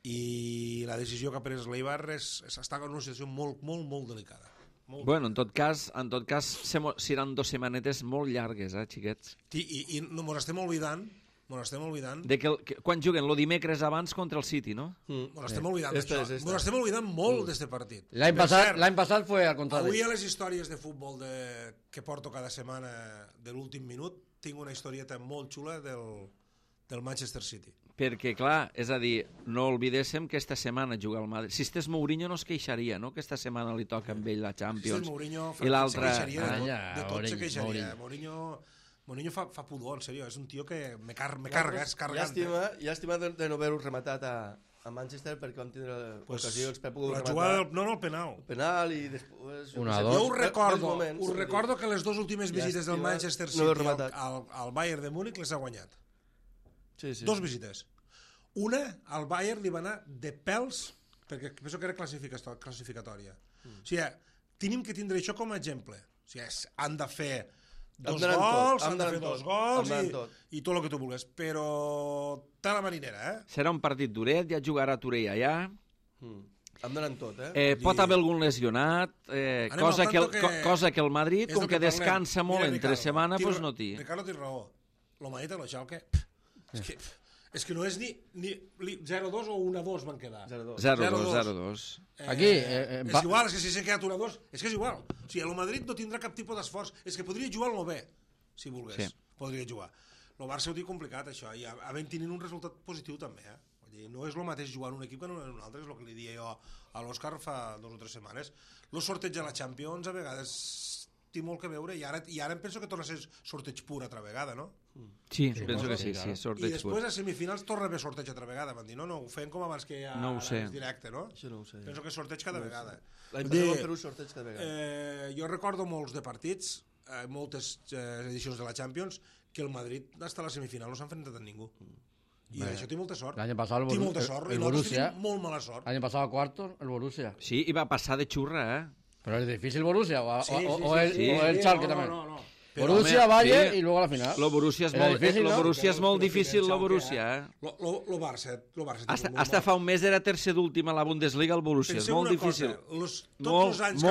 I la decisió que ha pres l'Eibar està en una situació molt, molt, molt delicada. Bueno, en tot cas, seran 2 setmanetes molt llargues, xiquets. I mos estem oblidant de que quan juguen el dimecres abans contra el City, ¿no? Nos estem oblidant d'això. Nos estem oblidant molt d'este partit. L'any passat fue al contrari. Avui a les històries de futbol que porto cada setmana de l'últim minut tinc una historieta molt xula del Manchester City. Perquè, clar, és a dir, no oblidéssim que esta setmana juga al Madrid. Si estés Mourinho no es queixaria, no?, que esta setmana li toca amb ell la Champions. Si Mourinho i l'altre... de tot se queixaria. Mourinho fa pudor, en sèrio, és un tio que me carga, és cargant. Llàstima de no haver-ho rematat a Manchester perquè vam tindre l'ocasió per poder rematar. La jugada, el penal. El penal i després... Jo us recordo que les 2 últimes visites del Manchester City al Bayern de Múnich les ha guanyat. 2 visites. Una, al Bayern li va anar de pèls, perquè penso que era classificatòria. O sigui, tenim que tindre això com a exemple. O sigui, han de fer 2 gols, han de fer 2 gols i tot el que tu vulguis, però té la marinera, Serà un partit duret, ja jugarà Torell allà. Hem d'anar tot, Pot haver algun lesionat, cosa que el Madrid, com que descansa molt entre setmana, doncs no té. Ricardo té raó. El Madrid a la Schalke, és que no és ni 0-2 o 1-2 van quedar. 0-2. Aquí és igual, és que si s'ha quedat 1-2 és que és igual, o sigui, el Madrid no tindrà cap tipus d'esforç, és que podria jugar el 9 si volgués, podria jugar. El Barça ho té complicat això, i havent tenint un resultat positiu també, No és el mateix jugar en un equip que en un altre, és el que li dia jo a l'Òscar fa 2 o 3 setmanes. El sorteig de la Champions a vegades té molt que veure i ara em penso que torna a ser sorteig pur altra vegada, no? Sí, penso que sí, sorteig I després pur. a semifinals torna a haver sorteig altra vegada. Van dir, no, ho fem com abans que ja No ho sé. és directe, no? Això no ho sé. Penso que sorteig cada vegada. L'any Vull dir, passat vam fer un sorteig cada vegada. Jo recordo molts de partits, moltes edicions de la Champions, que el Madrid hasta la semifinal no s'ha enfrentat a ningú. I això té molta sort. L'any passat Té molta sort. I el nosaltres Borussia, tenim molt mala sort. l'any passat a cuartos, el Borussia. Sí, i va passar de xurra, Pero es difícil Borussia o el sí. Schalke también. No. Borussia, home, Bayern sí. i luego a la final. Lo Borussia és Era molt, difícil, no? lo Borussia és molt difícil, lo Borussia, Lo Barça. Hasta fa un mes era tercer d'últim a la Bundesliga, el Borussia. És molt difícil. Tots els anys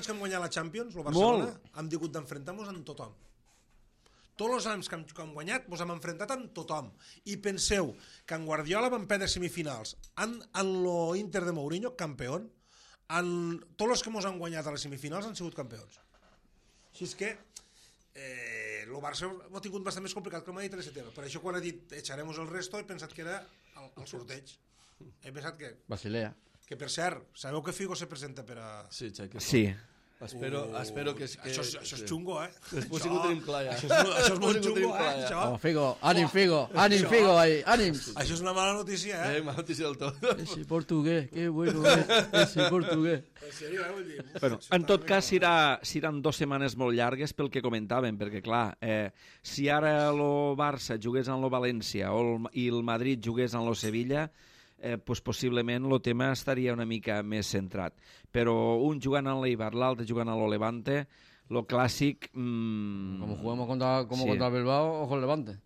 que hem guanyat la Champions, el Barcelona, hem hagut d'enfrontar-nos amb tothom. Tots els anys que hem guanyat ens hem enfrontat amb tothom. I penseu que en Guardiola van perdre semifinals en l'Inter de Mourinho, campió. Tots els que ens han guanyat a les semifinals han sigut campions. Així és que el Barça ho ha tingut bastant més complicat que el Madrid en aquest tema. Per això quan ha dit echaremos el resto he pensat que era el sorteig. He pensat que... Basilea. Que per cert, sabeu que Figo se presenta per a... Sí, Xavi. Sí. Espero que... Això és xungo, Després sí que ho tenim clar, ja. Això és molt xungo, això. Vamos, Figo. Ànim, Figo ahí. Ànim. Això és una mala notícia, Mala notícia del tot. Ese portugués, qué bueno es. Ese portugués. En sèrio, vull dir... Bueno, en tot cas, seran 2 setmanes molt llargues pel que comentàvem, perquè, clar, si ara el Barça jugués en el València i el Madrid jugués en el Sevilla, pues possiblement el tema estaria una mica més centrat. Però un jugant en l'Eibar, l'altre jugant a l'Olevante, lo clàssic... Como jugamos contra el Bilbao, ojo el Levante.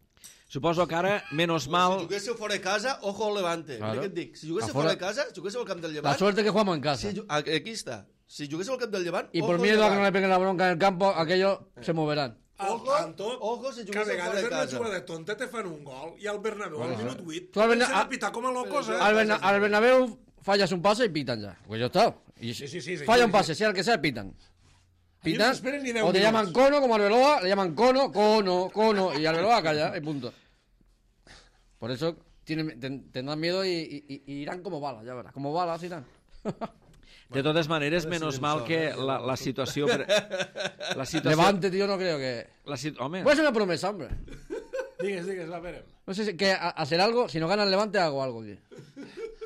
Suposo que ara, menos mal... Si juguéssiu fora de casa, ojo al Levante. Claro. Mira què et dic. Si juguéssiu fora de casa, si juguéssiu al camp del Llevant... La suerte que jugamos en casa. Aquí está. Si juguéssiu al camp del Llevant, Y ojo por al miedo a que Llevant. no le peguen la bronca en el campo, aquellos se moverán. Ojo si que a juguéssiu fora vegades de en una casa. jugada tonta te fan un gol i al Bernabéu al minut 8 Tu al Berna- comencen a pitar com a locos, Al Bernabéu fallas un pase y pitan ya. Pues ya está. Y Sí, falla un pase, sea el que sea, pitan. Pitan. no se esperen ni 10 O te minutos. llaman cono, como Arbeloa, le llaman cono. Y Arbeloa calla, y punto. Por eso tendrán miedo y irán como balas, ya verás. Como balas irán. De totes maneres, menos mal que la situació... La situació... Levante, tío, no creo que... Home, Puede ser una promesa, hombre. Digues, va, verem. No sé si que hacer algo, si no gana el Levante, hago algo aquí.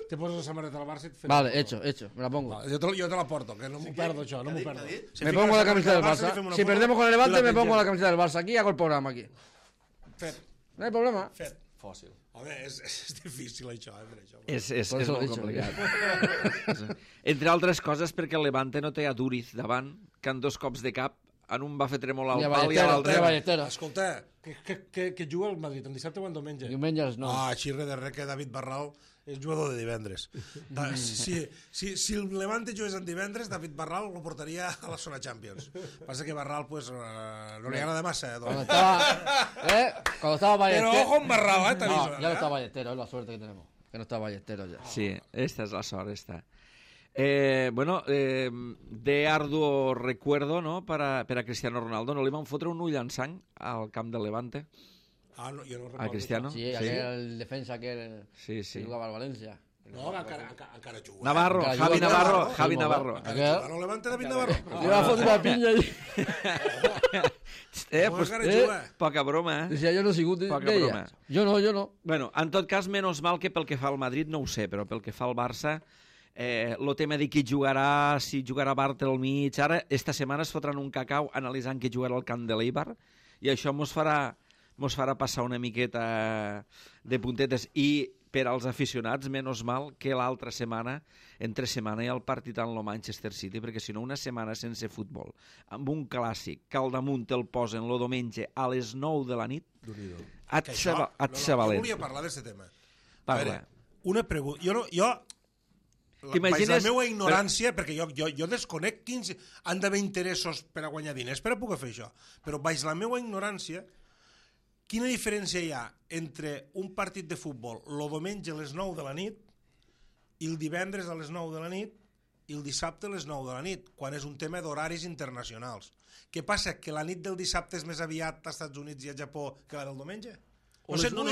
Te poses la samarreta al Barça i et fem Vale, una foto. hecho, me la pongo. Va, jo te la porto, que no m'ho perdo això, no m'ho perdo. Me pongo la camiseta del Barça. Si perdemos con el Levante, me pongo la camiseta del Barça aquí y hago el programa aquí. Fet. No hay problema. Fet. Fòssil. Home, és difícil això, això. és Por eso lo he molt dicho. complicat. Entre altres coses perquè el Levante no té a Duriz davant, que en 2 cops de cap, en un va fer tremolar Ni el a pal i a Ballesteros, l'altre... ni a Ballesteros. Escolta, que juga el Madrid, en dissabte o en diumenge? Diumenges no. Xirre de res que David Barral és jugador de divendres. Si el Levante jugués en divendres, David Barral lo portaria a la zona Champions. Passa que Barral pues, no li agrada massa. Cuando estaba Però Ballesteros... ojo amb Barral, t'aviso. No, ya no está Ballesteros, es la suerte que tenemos. Que no está Ballesteros ya. Sí, esta és la sort, esta. De arduo recuerdo, ¿no?, per a Cristiano Ronaldo. No li van fotre un ull en sang al camp del Levante, No, jo no recordo. a Cristiano? Sí, aquel defensa que Sí. jugaba al Valencia. No, encara juga. Navarro, Encara Javi juga. Navarro, Sí, Javi molt Navarro. bé. Encara juga. No Levante David Navarro. Le iba a fotre una piña y... Pues, encara juga. poca broma, Decía, yo no sigo de Poca ella. broma. Yo no. Bueno, en tot cas, menys mal que pel que fa al Madrid no ho sé, però pel que fa al Barça, el tema de qui jugarà, si jugarà Bartelmich, ara, esta setmana es fotran un cacau analitzant qui jugarà al camp de l'Eibar, i això mos farà passar una miqueta de puntetes. I per als aficionats, menys mal que l'altra setmana, entre setmana, hi ha el partit en el Manchester City, perquè si no, una setmana sense futbol, amb un clàssic que al damunt el posen el diumenge a les 9 de la nit, et Jo sabalet. volia parlar d'aquest tema. Parla. A veure, una pregunta. Jo T'imagines- Vaig la meva ignorància, perquè jo desconec quins han d'haver interessos per a guanyar diners per a poder fer això, però vaig la meva ignorància, quina diferència hi ha entre un partit de futbol el diumenge a les 9 de la nit i el divendres a les 9 de la nit i el dissabte a les 9 de la nit, quan és un tema d'horaris internacionals? Què passa? Que la nit del dissabte és més aviat als Estats Units i a Japó que la del diumenge? No sé, no ho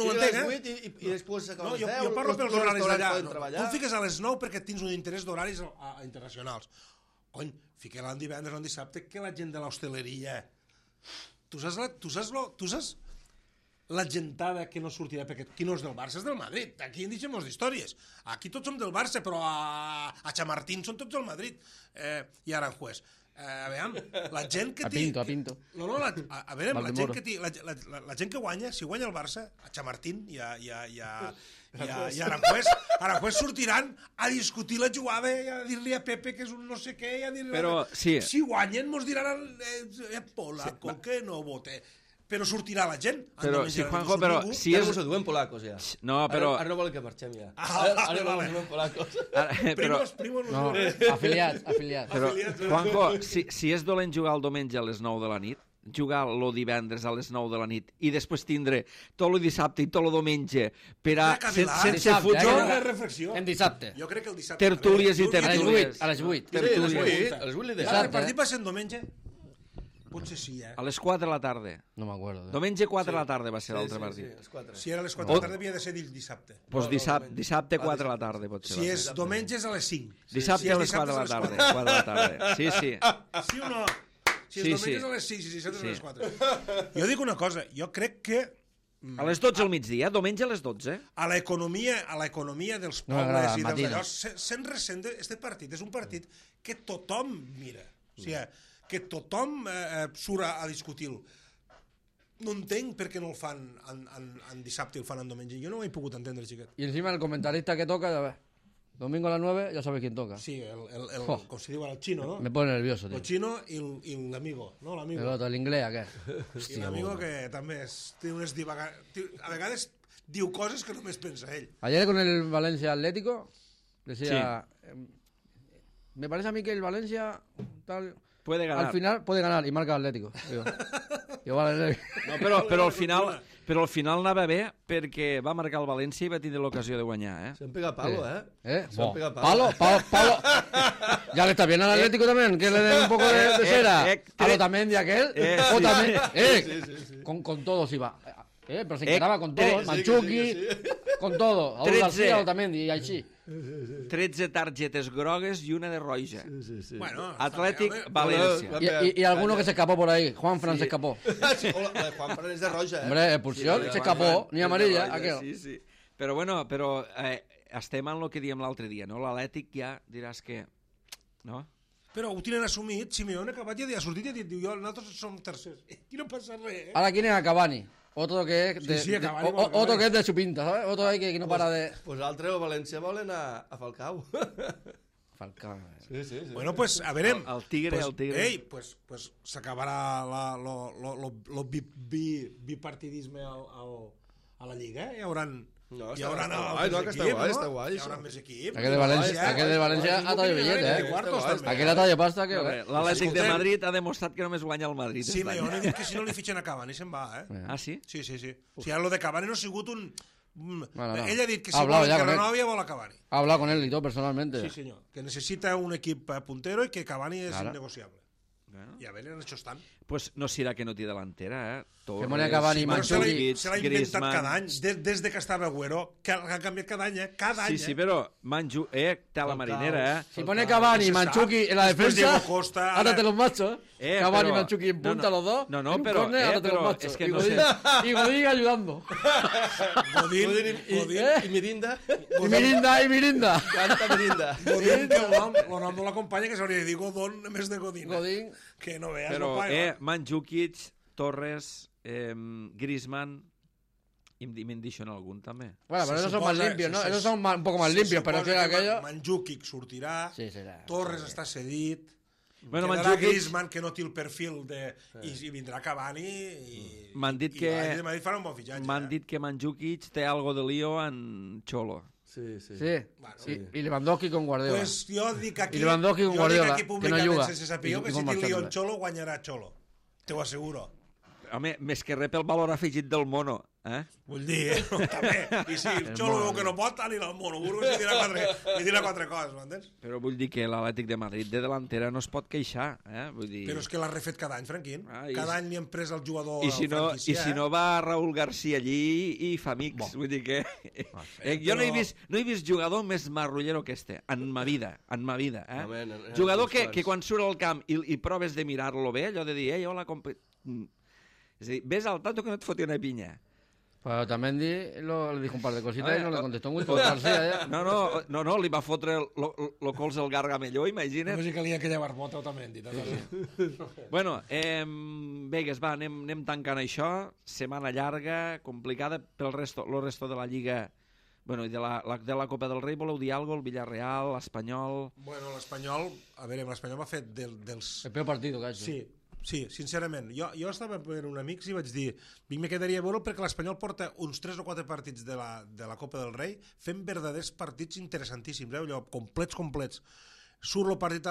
entenc, I després s'acaba les 10. Jo parlo pels horaris d'allà. Tu et fiques a les 9 perquè tens un interès d'horaris internacionals. Cony, fiquem-la en divendres o en dissabte, que la gent de l'hostaleria... Tu saps la gentada que no sortirà, perquè qui no és del Barça és del Madrid. Aquí en deixem d'històries. Aquí tots som del Barça, però a Chamartín són tots del Madrid. I Aranjuez. A veure, la gent que té... A Pinto. No, a veure, la gent que té... La gent que guanya, si guanya el Barça, a Chamartín i a Aranjuez sortiran a discutir la jugada i a dir-li a Pepe que és un no sé què, i a dir-li... Però, sí. Si guanyen, mos diran polaco, que no vote... Però sortirà la gent. Però, si Juanjo, però... Si ja és... no s'ho diuen polacos, ja. No, però... Ara no volen que marxem, ja. Ara no volen polacos. Primos... No, afiliats. Però, Juanjo, si és dolent jugar el diumenge a les 9 de la nit, jugar el divendres a les 9 de la nit i després tindre tot el dissabte i tot el diumenge per a... sense reflexió. En dissabte. Jo crec que el dissabte... Tertúlies i tertúlies. A les 8. A les 8 li deia. El partit va ser en diumenge? Potser sí, A les 4 de la tarda. No m'acuerdo. Diumenge 4 de la tarda va ser l'altre partit. Si era a les 4 de la tarda havia de ser dissabte. Doncs dissabte 4 de la tarda pot ser. Si és diumenge és a les 5. Dissabte a les 4 de la tarda. 4 de la tarda. Sí. Sí o no? Si és diumenge és a les 5, si dissabte és a les 4. Jo dic una cosa, jo crec que... A les 12 al migdia, diumenge a les 12. A l'economia dels pobles i dels allò, se'n ressent este partit. És un partit que tothom mira. O sigui, que tothom surt a discutir-lo. No entenc per què no el fan en dissabte i el fan en diumenge. Jo no ho he pogut entendre, xiquet. Y encima el comentarista que toca, ya ves, domingo a las 9, ya sabes quién toca. Sí, com se diu ara, el xino, no? Me pone nervioso, tío. El xino i l'amigo, no? L'amigo. El otro, el inglés, ¿a qué? I l'amigo que també té unes a vegades diu coses que només pensa ell. Ayer con el Valencia Atlético, decía, me parece a mí que el Valencia tal... Puede ganar. Al final puede ganar y marca Atlético. Digo, vale. No, però al final anava bé perquè va marcar el València i va tindre l'ocasió de guanyar, Se han pegado palo, Se han pegado Palo. Ya le está bien al Atlético también, que le den un poco de cera. A lo también de aquel. O también. Con todos iba. Pero se encaraba con todos. Manchuki, con todo. A García, Otamendi y així. 13 targetes grogues y una de roja. Sí. Bueno, Atlético, Valencia. Y alguno que se escapó por ahí. Juanfran se escapó. Juanfran es de roja, Hombre, expulsión, se escapó. Ni amarilla, aquel. Sí. Però estem en el que diem l'altre dia, no? L'Atlètic ja diràs que... No? Però ho tenen assumit. Simeone ha acabat ja ha sortit i ha dit, nosaltres som tercers. Aquí no passa res, Ahora quieren a Cavani. Otro que es otro que es de su pinta, ¿sabes? Otro ahí que no para de... Pues l'altre o València volen a Falcao. Falcao. Sí. Bueno, pues a veure... El tigre. Ei, pues s'acabarà lo bipartidisme a la Lliga, Hi haurà està guai. Hi haurà més equips. Aquel de València ha tallat billet, Aquel ha tallat pasta. L'Atlètic de Madrid ha demostrat que només guanya el Madrid. Sí, jo he dit que si no li fitxen a Cavani se'n va, Ah, sí? Sí. O sigui, lo de Cavani no ha sigut un... Ell ha dit que si vol que renovi vol a Cavani. Ha hablado con él y todo personalmente. Sí, senyor. Que necessita un equip puntero i que Cavani és innegociable. I a veure, en això estan. Pues no serà que no té delantera, Que Monia Cavani, Mandzukic, se l'ha inventat cada any, des de que estava Agüero, que ha canviat cada any, Cada any. Sí, però té la marinera, Si pone Cavani y Mandzukic en la defensa, ahora te los machos. Cavani y Mandzukic en punta los dos. No, pero ahora te los machos. Es que no sé. Y Godín ayudando. Godín y Mirinda. Y Mirinda. Canta Mirinda. Godín, que el nom no l'acompanya, que s'hauria de dir Godón, a més de Godín. Que no veas, però, Mandzukic, Torres, Griezmann, y me dicen algún también. Bueno, pero esos son más limpios, ¿no? Esos son un poco más limpios, pero que aquello... Mandzukic sortirà, Torres està cedit, bueno, quedarà Griezmann, que no té el perfil de... I vindrà Cavani i... M'han dit que Mandzukic té algo de lío en Cholo. Sí. Y Lewandowski con Guardiola. Pues jo dic aquí públicament sense saber que si té lío en Cholo, guanyarà Cholo. Te ho asseguro. Home, més que rep el valor afegit del mono Vull dir, també. I si el Xolo veu que no pot, anirà al Monoburgos i dirà quatre coses, m'entens? Però vull dir que l'Atlètic de Madrid de delantera no es pot queixar, vull dir... Però és que l'ha refet cada any, Franquín. Cada any li han pres el jugador I si no va Raúl García allí i fa amics, vull dir que... Jo no he vist jugador més marrullero que este, en ma vida, Jugador que quan surt al camp i proves de mirar-lo bé, allò de dir, hola, és a dir, ves al tanto que no et foti una pinya. Pero también le dijo un par de cositas y no le contestó muy por García. No, li va fotre el cols del Gargamelló, imagina't. Només hi calia aquella barbota, Otamendi. Bueno, Vegas, va, anem tancant això. Setmana llarga, complicada pel resto de la Lliga. Bueno, i de la Copa del Rei, voleu dir alguna cosa? El Villarreal, l'Espanyol... Bueno, l'Espanyol, a veure, l'Espanyol va fer dels... El peor partido que ha hecho. Sí, sincerament. Jo estava per un amic i vaig dir me quedaria a veure perquè l'Espanyol porta uns 3 o 4 partits de la Copa del Rei fent verdaders partits interessantíssims, allò, complets. Surt el partit,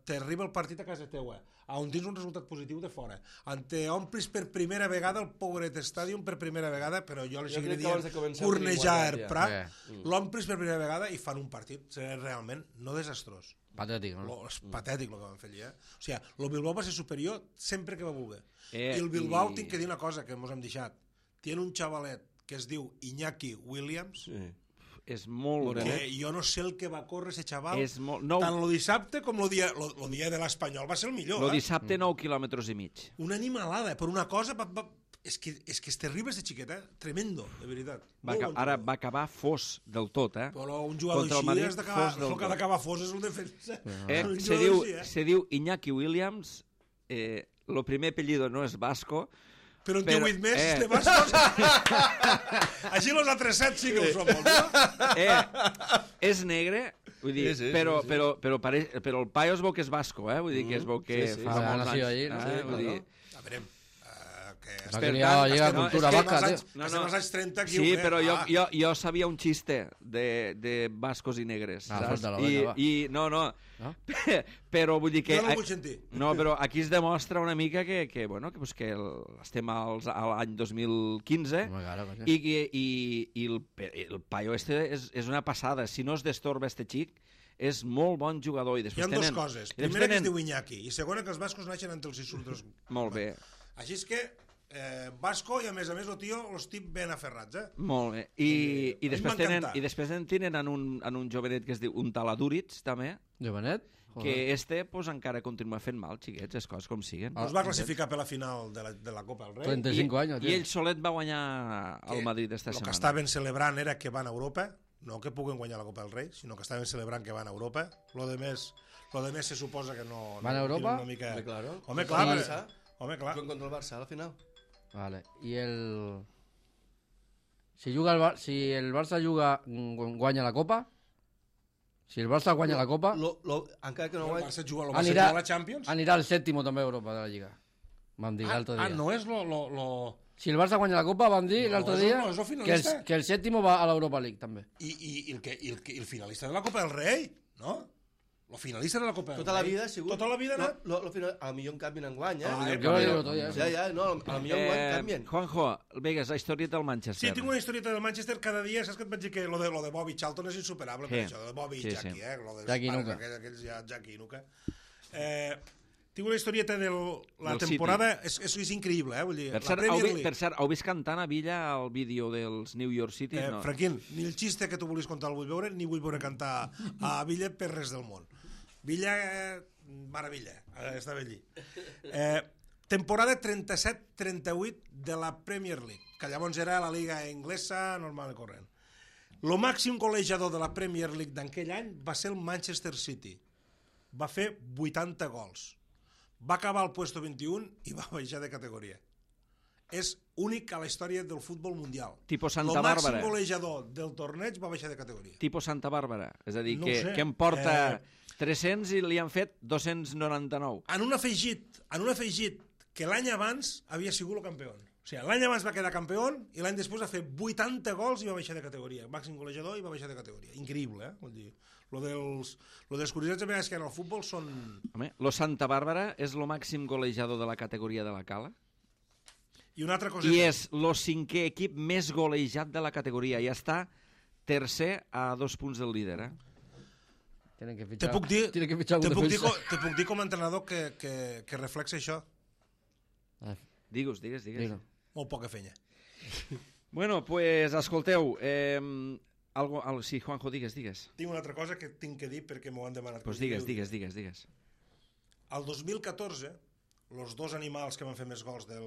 t'arriba el partit a casa teua, on tens un resultat positiu de fora, on t'omplis per primera vegada el Pobret Stadium per primera vegada, però jo li seguiré dient cornejar Prat, l'omplis per primera vegada i fan un partit realment no desastrós. Patètic, no? És patètic el que van fer allà. O sigui, el Bilbao va ser superior sempre que va voler. I el Bilbao, tinc que dir una cosa que ens hem deixat. Tiene un xavalet que es diu Iñaki Williams, és molt morenet. Jo no sé el que va córrer ese xaval. Tant el dissabte com el dia de l'Espanyol va ser el millor. El dissabte 9 quilòmetres i mig. Una animalada, per una cosa... És que és terrible este xiquet, tremendo, de veritat. Ara va acabar fos del tot, Però un jugador així has d'acabar, el que ha d'acabar fos és el defensa. Se diu Iñaki Williams, el primer apellido no és Vasco, però en té 8 més de bascos. Així els altres 7 sí que ho som molts, no? És negre, vull dir, però el paio es veu que és basco, vull dir que es veu que fa molts anys. A veure, estem a cultura vasca, estem als anys 30 aquí. Sí, però jo sabia un xiste de bascos i negres. Però vull dir que... Jo no vull sentir. No, però aquí es demostra una mica que estem a l'any 2015 i el paio este és una passada. Si no es destorba este xic, és molt bon jugador. Hi ha dues coses. Primera, que es diu Iñaki, i segona, que els bascos naixen entre els insultos. Molt bé. Així és que basco i a més el tio els tip ben aferrats, Molt bé. I després tenen en un jovenet que es diu un Taladúritz, també. Jovenet? Que pues, encara continua fent mal, xiquets, les coses com siguen. Es va classificar per la final de la Copa del Rei. 35 anys. I ell solet va guanyar el Madrid esta setmana. El que estaven celebrant era que van a Europa, no que puguen guanyar la Copa del Rei, sinó que estaven celebrant que van a Europa. Lo de més se suposa que no... Van a Europa? Home, clar. Contra el Barça, a la final. Vale. I el... Si el Barça guanya la Copa... Si el Barça guanya la Copa... Encara que no guanya... El Barça juga a la Champions... Anirà al sèptimo també a Europa de la Lliga. Vam dir l'altre dia. No és lo... Si el Barça guanya la Copa, vam dir l'altre dia que el sèptimo va a l'Europa League, també. I el finalista de la Copa del Rei, no? El finalista de la Copa del Rei. Tota la vida ha sigut... Tota la vida ha anat... A millor en canvien enguany, Jo ho dic l'altre dia. A millor enguany canvien. Juanjo, Vegas, la historieta del Manchester. Sí, tinc una historieta del Manchester cada dia. Saps que et vaig dir que lo de Bobby Charlton és insuperable, per això, de Bobby i Jackie, Jackie Nuka. Aquells ja, Jackie Nuka. Tinc una historieta de la temporada... És increïble, vull dir... Per cert, heu vist cantant a Villa el vídeo dels New York City? Franquín, ni el xiste que tu volies contar el vull veure, ni vull veure cantar a Villa per res del món. Villa, maravilla, estava allí. Temporada 37-38 de la Premier League, que llavors era la Liga Inglesa normal i corrent. El màxim golejador de la Premier League d'aquell any va ser el Manchester City. Va fer 80 gols. Va acabar al puesto 21 i va baixar de categoria. És únic a la història del futbol mundial. Tipo Santa Bàrbara. El màxim golejador del torneig va baixar de categoria. Tipo Santa Bàrbara. És a dir, que em porta 300 i li han fet 299. Han afegit que l'any abans havia sigut el campió. O sigui, l'any abans va quedar campió i l'any després va fer 80 gols i va baixar de categoria. Màxim golejador i va baixar de categoria. Increïble, Vull dir, lo dels curiosats a vegades que en el futbol són... Home, lo Santa Bàrbara és lo màxim golejador de la categoria de la Cala? I una altra cosa... I és el 5è equip més golejat de la categoria. I està tercer a 2 punts del líder. Tienen que Te fichar, puc dir, tienen que fichar algún defensa. te puc dir com a entrenador que reflexa això. Digues. Molt poca fenya. Bueno, pues, escolteu, sí, Juanjo, digues. Tinc una altra cosa que tinc que dir perquè m'ho han demanat. Pues digues. Al 2014, els 2 animals que van fer més gols de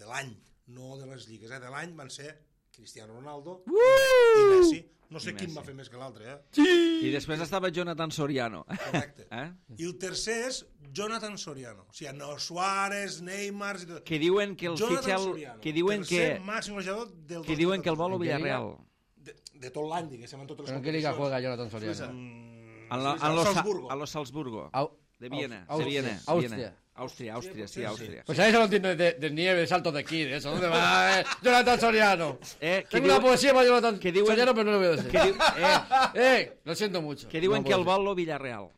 l'any, no de les lligues, de l'any, van ser Cristiano Ronaldo i Messi. No sé quin va fer més que l'altre, I després estava Jonathan Soriano. Correcte. I el tercer és Jonathan Soriano. O sigui, no Suárez, Neymar... I tot. Que diuen que el fitxel... Que diuen tercer màxim golejador del 2014. Que diuen que el vol a Villarreal. De tot l'any, diguéssim, en totes les ¿Pero en qué liga juega Jonathan Soriano? A los Salzburgo. De Viena. Austria. Pues a eso no entiendo de nieve, de saltos de esquí, de eso. ¿Dónde va Jonathan Soriano? Tengo una poesía para Jonathan Soriano, pero no lo voy a decir. Lo siento mucho. Que diuen que el vol a Villarreal.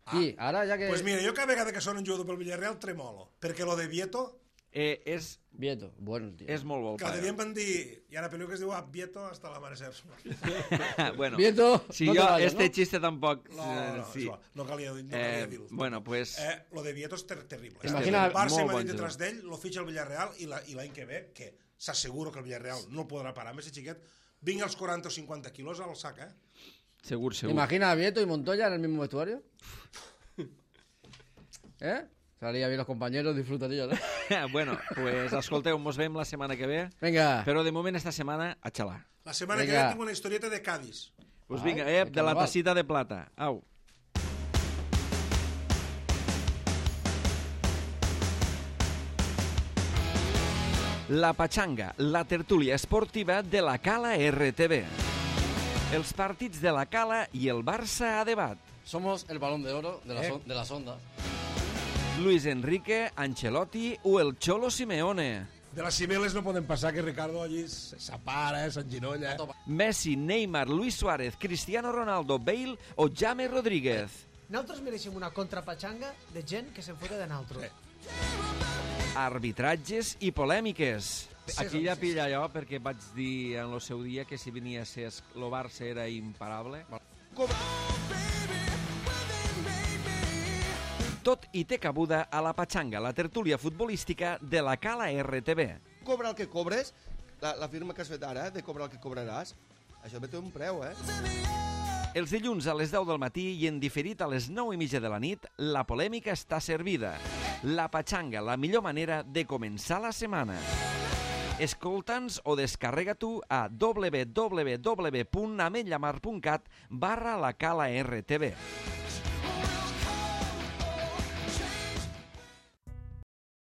Sí, ara ja que... Pues mira, jo cada vegada que sona un jugador pel Villarreal tremolo, perquè lo de Vieto... És Vieto, bueno, tío. És molt bo. Cada dia em van dir, hi ha una pel·lícula que es diu Vieto hasta l'amanecer. Bueno, Vieto, si no jo vayas, este ¿no? chiste tampoc... Sí. No calia dir-ho. Bueno, pues... Lo de Vieto és terrible. Imagina, El Barça molt m'ha bon dit detrás jugador. d'ell, lo fitxa el Villarreal i l'any que ve, que s'asseguro que el Villarreal no podrà parar amb aquest xiquet, vingui als 40 o 50 quilos al sac, Segur. Imagina a Vieto y Montoya en el mismo vestuario. Salía bien los compañeros, disfrutarían, ¿no? Bueno, pues escolteu, mos veiem la setmana que ve. Venga. Però de moment esta setmana a xalar. La setmana que ve tinc una historieta de Cádiz. Pues vinga, de la tacita de plata. Au. La Pachanga, la tertúlia esportiva de la Cala RTV. Els partits de la Cala i el Barça a debat. Somos el balón de oro de las ondas. Luis Enrique, Ancelotti o el Cholo Simeone. De les Cibeles no poden passar que Ricardo allí s'apara, s'enginolla. Messi, Neymar, Luis Suárez, Cristiano Ronaldo, Bale o James Rodríguez. Nosaltres mereixem una contrapatxanga de gent que se'n fota de nosaltres. Arbitratges i polèmiques. Aquí ja pilla allò perquè vaig dir en el seu dia que si venia a ser el Barça era imparable. Tot i té cabuda a la Pachanga, la tertúlia futbolística de la Cala RTV. Cobra el que cobres, la firma que has fet ara, de cobrar el que cobraràs, això té un preu, Els dilluns a les 10 del matí i en diferit a les 9:30 de la nit, la polèmica està servida. La Pachanga, la millor manera de començar la setmana. Escolta'ns o descarrega tu a www.ametllamar.cat/la Cala RTV.